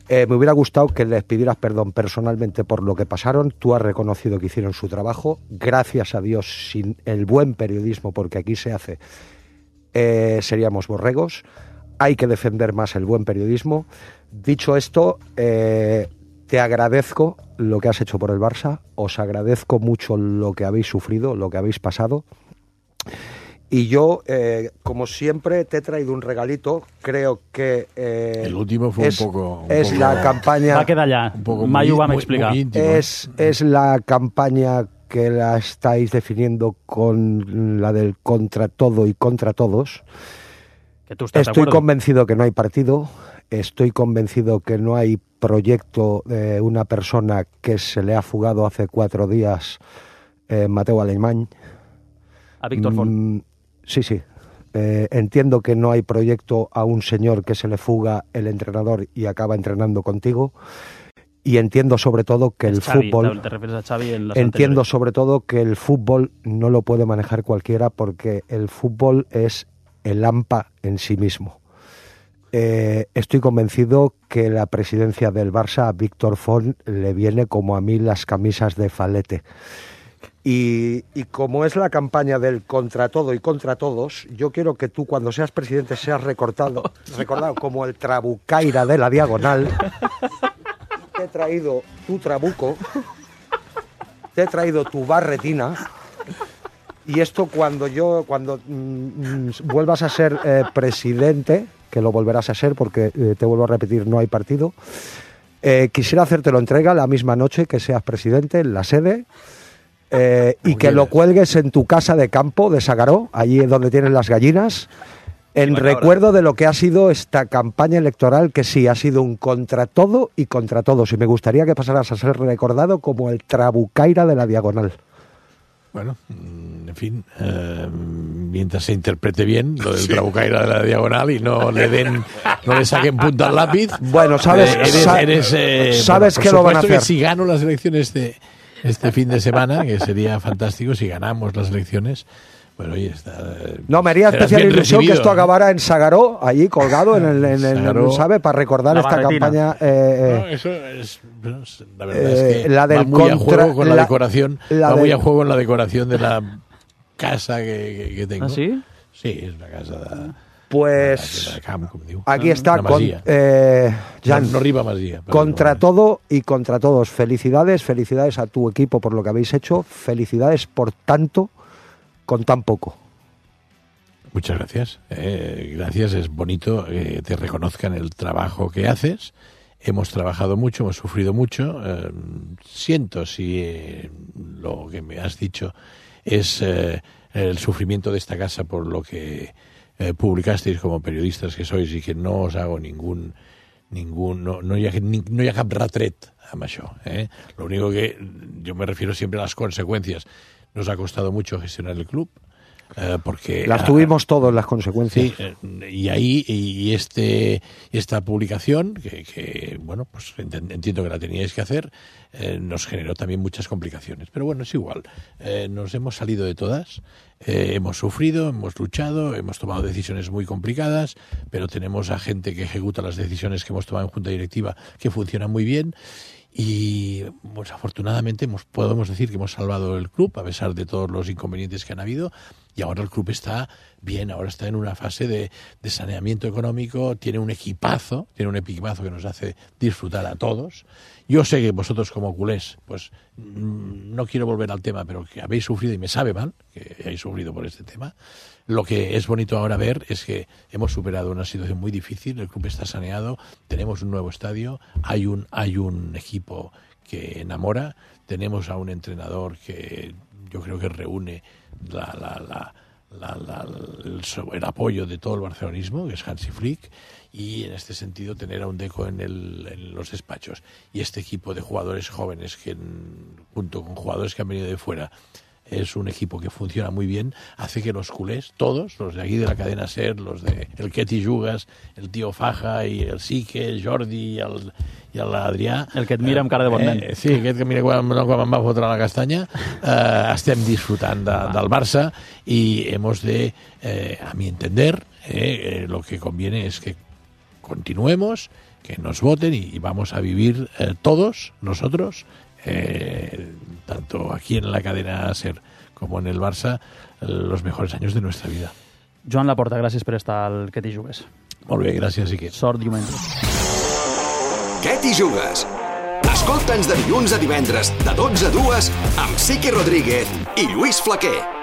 Speaker 14: Eh, me hubiera gustado que les pidieras perdón personalmente por lo que pasaron. Tú has reconocido que hicieron su trabajo. Gracias a Dios, sin el buen periodismo, porque aquí se hace, eh, seríamos borregos. Hay que defender más el buen periodismo. Dicho esto, eh, te agradezco lo que has hecho por el Barça. Os agradezco mucho lo que habéis sufrido, lo que habéis pasado. Y yo, eh, como siempre, te he traído un regalito. Creo que... Eh,
Speaker 2: el último fue
Speaker 14: es,
Speaker 2: un poco... Un
Speaker 14: es
Speaker 2: poco,
Speaker 14: la campaña...
Speaker 1: Va a quedar allà. Mai ho vam explicar.
Speaker 2: Muy íntimo,
Speaker 14: es, es la campaña que la estáis definiendo con la del contra todo y contra todos.
Speaker 1: Que tú estás
Speaker 14: Estoy
Speaker 1: de acuerdo.
Speaker 14: convencido que no hay partido. Estoy convencido que no hay proyecto de una persona que se le ha fugado hace cuatro días, eh, Mateu Alemany.
Speaker 1: A Víctor Font.
Speaker 14: Mm, sí, sí. Eh, entiendo que no hay proyecto a un señor que se le fuga el entrenador y acaba entrenando contigo. Y entiendo sobre todo que el
Speaker 1: Xavi,
Speaker 14: fútbol...
Speaker 1: te refieres a Xavi en las
Speaker 14: Entiendo
Speaker 1: anteriores.
Speaker 14: sobre todo que el fútbol no lo puede manejar cualquiera porque el fútbol es el AMPA en sí mismo. Eh, estoy convencido que la presidencia del Barça a Víctor Font le viene como a mí las camisas de Falete. Y, y como es la campaña del contra todo y contra todos, yo quiero que tú cuando seas presidente seas recortado, recordado como el trabucaira de la diagonal. Te he traído tu trabuco, te he traído tu barretina. Y esto cuando yo, cuando mm, vuelvas a ser eh, presidente, que lo volverás a ser porque eh, te vuelvo a repetir, no hay partido, eh, quisiera hacértelo entrega la misma noche que seas presidente en la sede eh, y que lo cuelgues en tu casa de campo de Sagaró, allí donde tienes las gallinas, en recuerdo de lo que ha sido esta campaña electoral, que sí, ha sido un contra todo y contra todos. Y me gustaría que pasaras a ser recordado como el trabucaira de la diagonal.
Speaker 2: Bueno, en fin, eh, mientras se interprete bien lo del
Speaker 3: Sí.
Speaker 2: trabucaira de la diagonal y no le den, no le saquen punta al lápiz.
Speaker 14: Bueno, sabes,
Speaker 2: eh, eres,
Speaker 14: sa-
Speaker 2: eres, eh,
Speaker 14: sabes
Speaker 2: bueno,
Speaker 14: que lo van a
Speaker 2: por supuesto
Speaker 14: hacer.
Speaker 2: que si gano las elecciones de este fin de semana, que sería fantástico si ganamos las elecciones, bueno, oye, está, eh,
Speaker 14: No, me haría
Speaker 2: serás
Speaker 14: especial
Speaker 2: bien
Speaker 14: ilusión que
Speaker 2: recibido,
Speaker 14: esto
Speaker 2: ¿no?
Speaker 14: acabara en Sagaró, allí colgado en el, en el-
Speaker 2: Sagaró.
Speaker 14: ¿sabe? Para recordar
Speaker 1: La
Speaker 14: esta
Speaker 1: barretina.
Speaker 14: campaña. eh,
Speaker 2: No,
Speaker 14: eh,
Speaker 2: eso es, bueno, la verdad
Speaker 14: Eh,
Speaker 2: es que
Speaker 14: la del
Speaker 2: va muy a
Speaker 14: contra-
Speaker 2: juego con la,
Speaker 14: la-
Speaker 2: decoración,
Speaker 14: la
Speaker 2: va muy
Speaker 14: del-
Speaker 2: a juego en la decoración de la casa que, que, que tengo.
Speaker 1: ¿Ah, sí?
Speaker 2: Sí, es una casa de,
Speaker 14: Pues
Speaker 2: de camp, com diu.
Speaker 14: aquí está,
Speaker 2: La
Speaker 14: con,
Speaker 2: Masia.
Speaker 14: eh, Jan,
Speaker 2: no, no arriba Masia.
Speaker 14: contra
Speaker 2: no.
Speaker 14: todo y contra todos. Felicidades, felicidades a tu equipo por lo que habéis hecho, felicidades por tanto con tan poco.
Speaker 2: Muchas gracias. Eh, gracias, es bonito que te reconozcan el trabajo que haces. Hemos trabajado mucho, hemos sufrido mucho. Eh, siento si eh, lo que me has dicho es eh, el sufrimiento de esta casa por lo que eh, publicasteis como periodistas que sois y que no os hago ningún... ningún no, no, hi ha, ni, no hi ha cap retret amb això. Eh? Lo único que yo me refiero siempre a las consecuencias. Nos ha costado mucho gestionar el club. Eh, porque
Speaker 14: las tuvimos todos las consecuencias.
Speaker 2: Sí, eh, y ahí y este esta publicación que, que bueno pues entiendo que la teníais que hacer, eh, nos generó también muchas complicaciones, pero bueno, es igual, eh, nos hemos salido de todas, eh, hemos sufrido, hemos luchado, hemos tomado decisiones muy complicadas, pero tenemos a gente que ejecuta las decisiones que hemos tomado en junta directiva que funcionan muy bien. Y pues afortunadamente hemos, podemos decir que hemos salvado el club a pesar de todos los inconvenientes que han habido, y ahora el club está bien, ahora está en una fase de, de saneamiento económico, tiene un equipazo, tiene un equipazo que nos hace disfrutar a todos. Yo sé que vosotros como culés, pues no quiero volver al tema, pero que habéis sufrido, y me sabe mal que hayáis sufrido por este tema. Lo que es bonito ahora ver es que hemos superado una situación muy difícil, el club está saneado, tenemos un nuevo estadio, hay un, hay un equipo que enamora, tenemos a un entrenador que yo creo que reúne la, la, la, la, la, el, el apoyo de todo el barcelonismo, que es Hansi Flick, y en este sentido tener a un Deco en, el, en los despachos y este equipo de jugadores jóvenes que junto con jugadores que han venido de fuera es un equipo que funciona muy bien, hace que los culés, todos, los de aquí de la cadena SER, los de el Queti Jugas, el tío Faja i el Sique, el Jordi i el, i l'Adrià...
Speaker 1: El que et mira amb cara de bon nen.
Speaker 2: Eh, sí, aquest que mira quan, quan em va fotre la castanya. Eh, estem disfrutant de, del Barça y hemos de, eh, a mi entender, eh, eh, lo que conviene es que continuemos, que nos voten y, y vamos a vivir eh, todos nosotros, Eh, tanto aquí en la cadena SER como en el Barça, los mejores años de nuestra vida.
Speaker 1: Joan Laporta, gràcies per estar al Que t'hi jugues.
Speaker 2: Molt bé, gràcies, Iker.
Speaker 1: Sort diumenge.
Speaker 15: Que t'hi jugues? Escolta'ns de dilluns a divendres, de dotze a dues, amb Sique Rodríguez i Lluís Flaquer.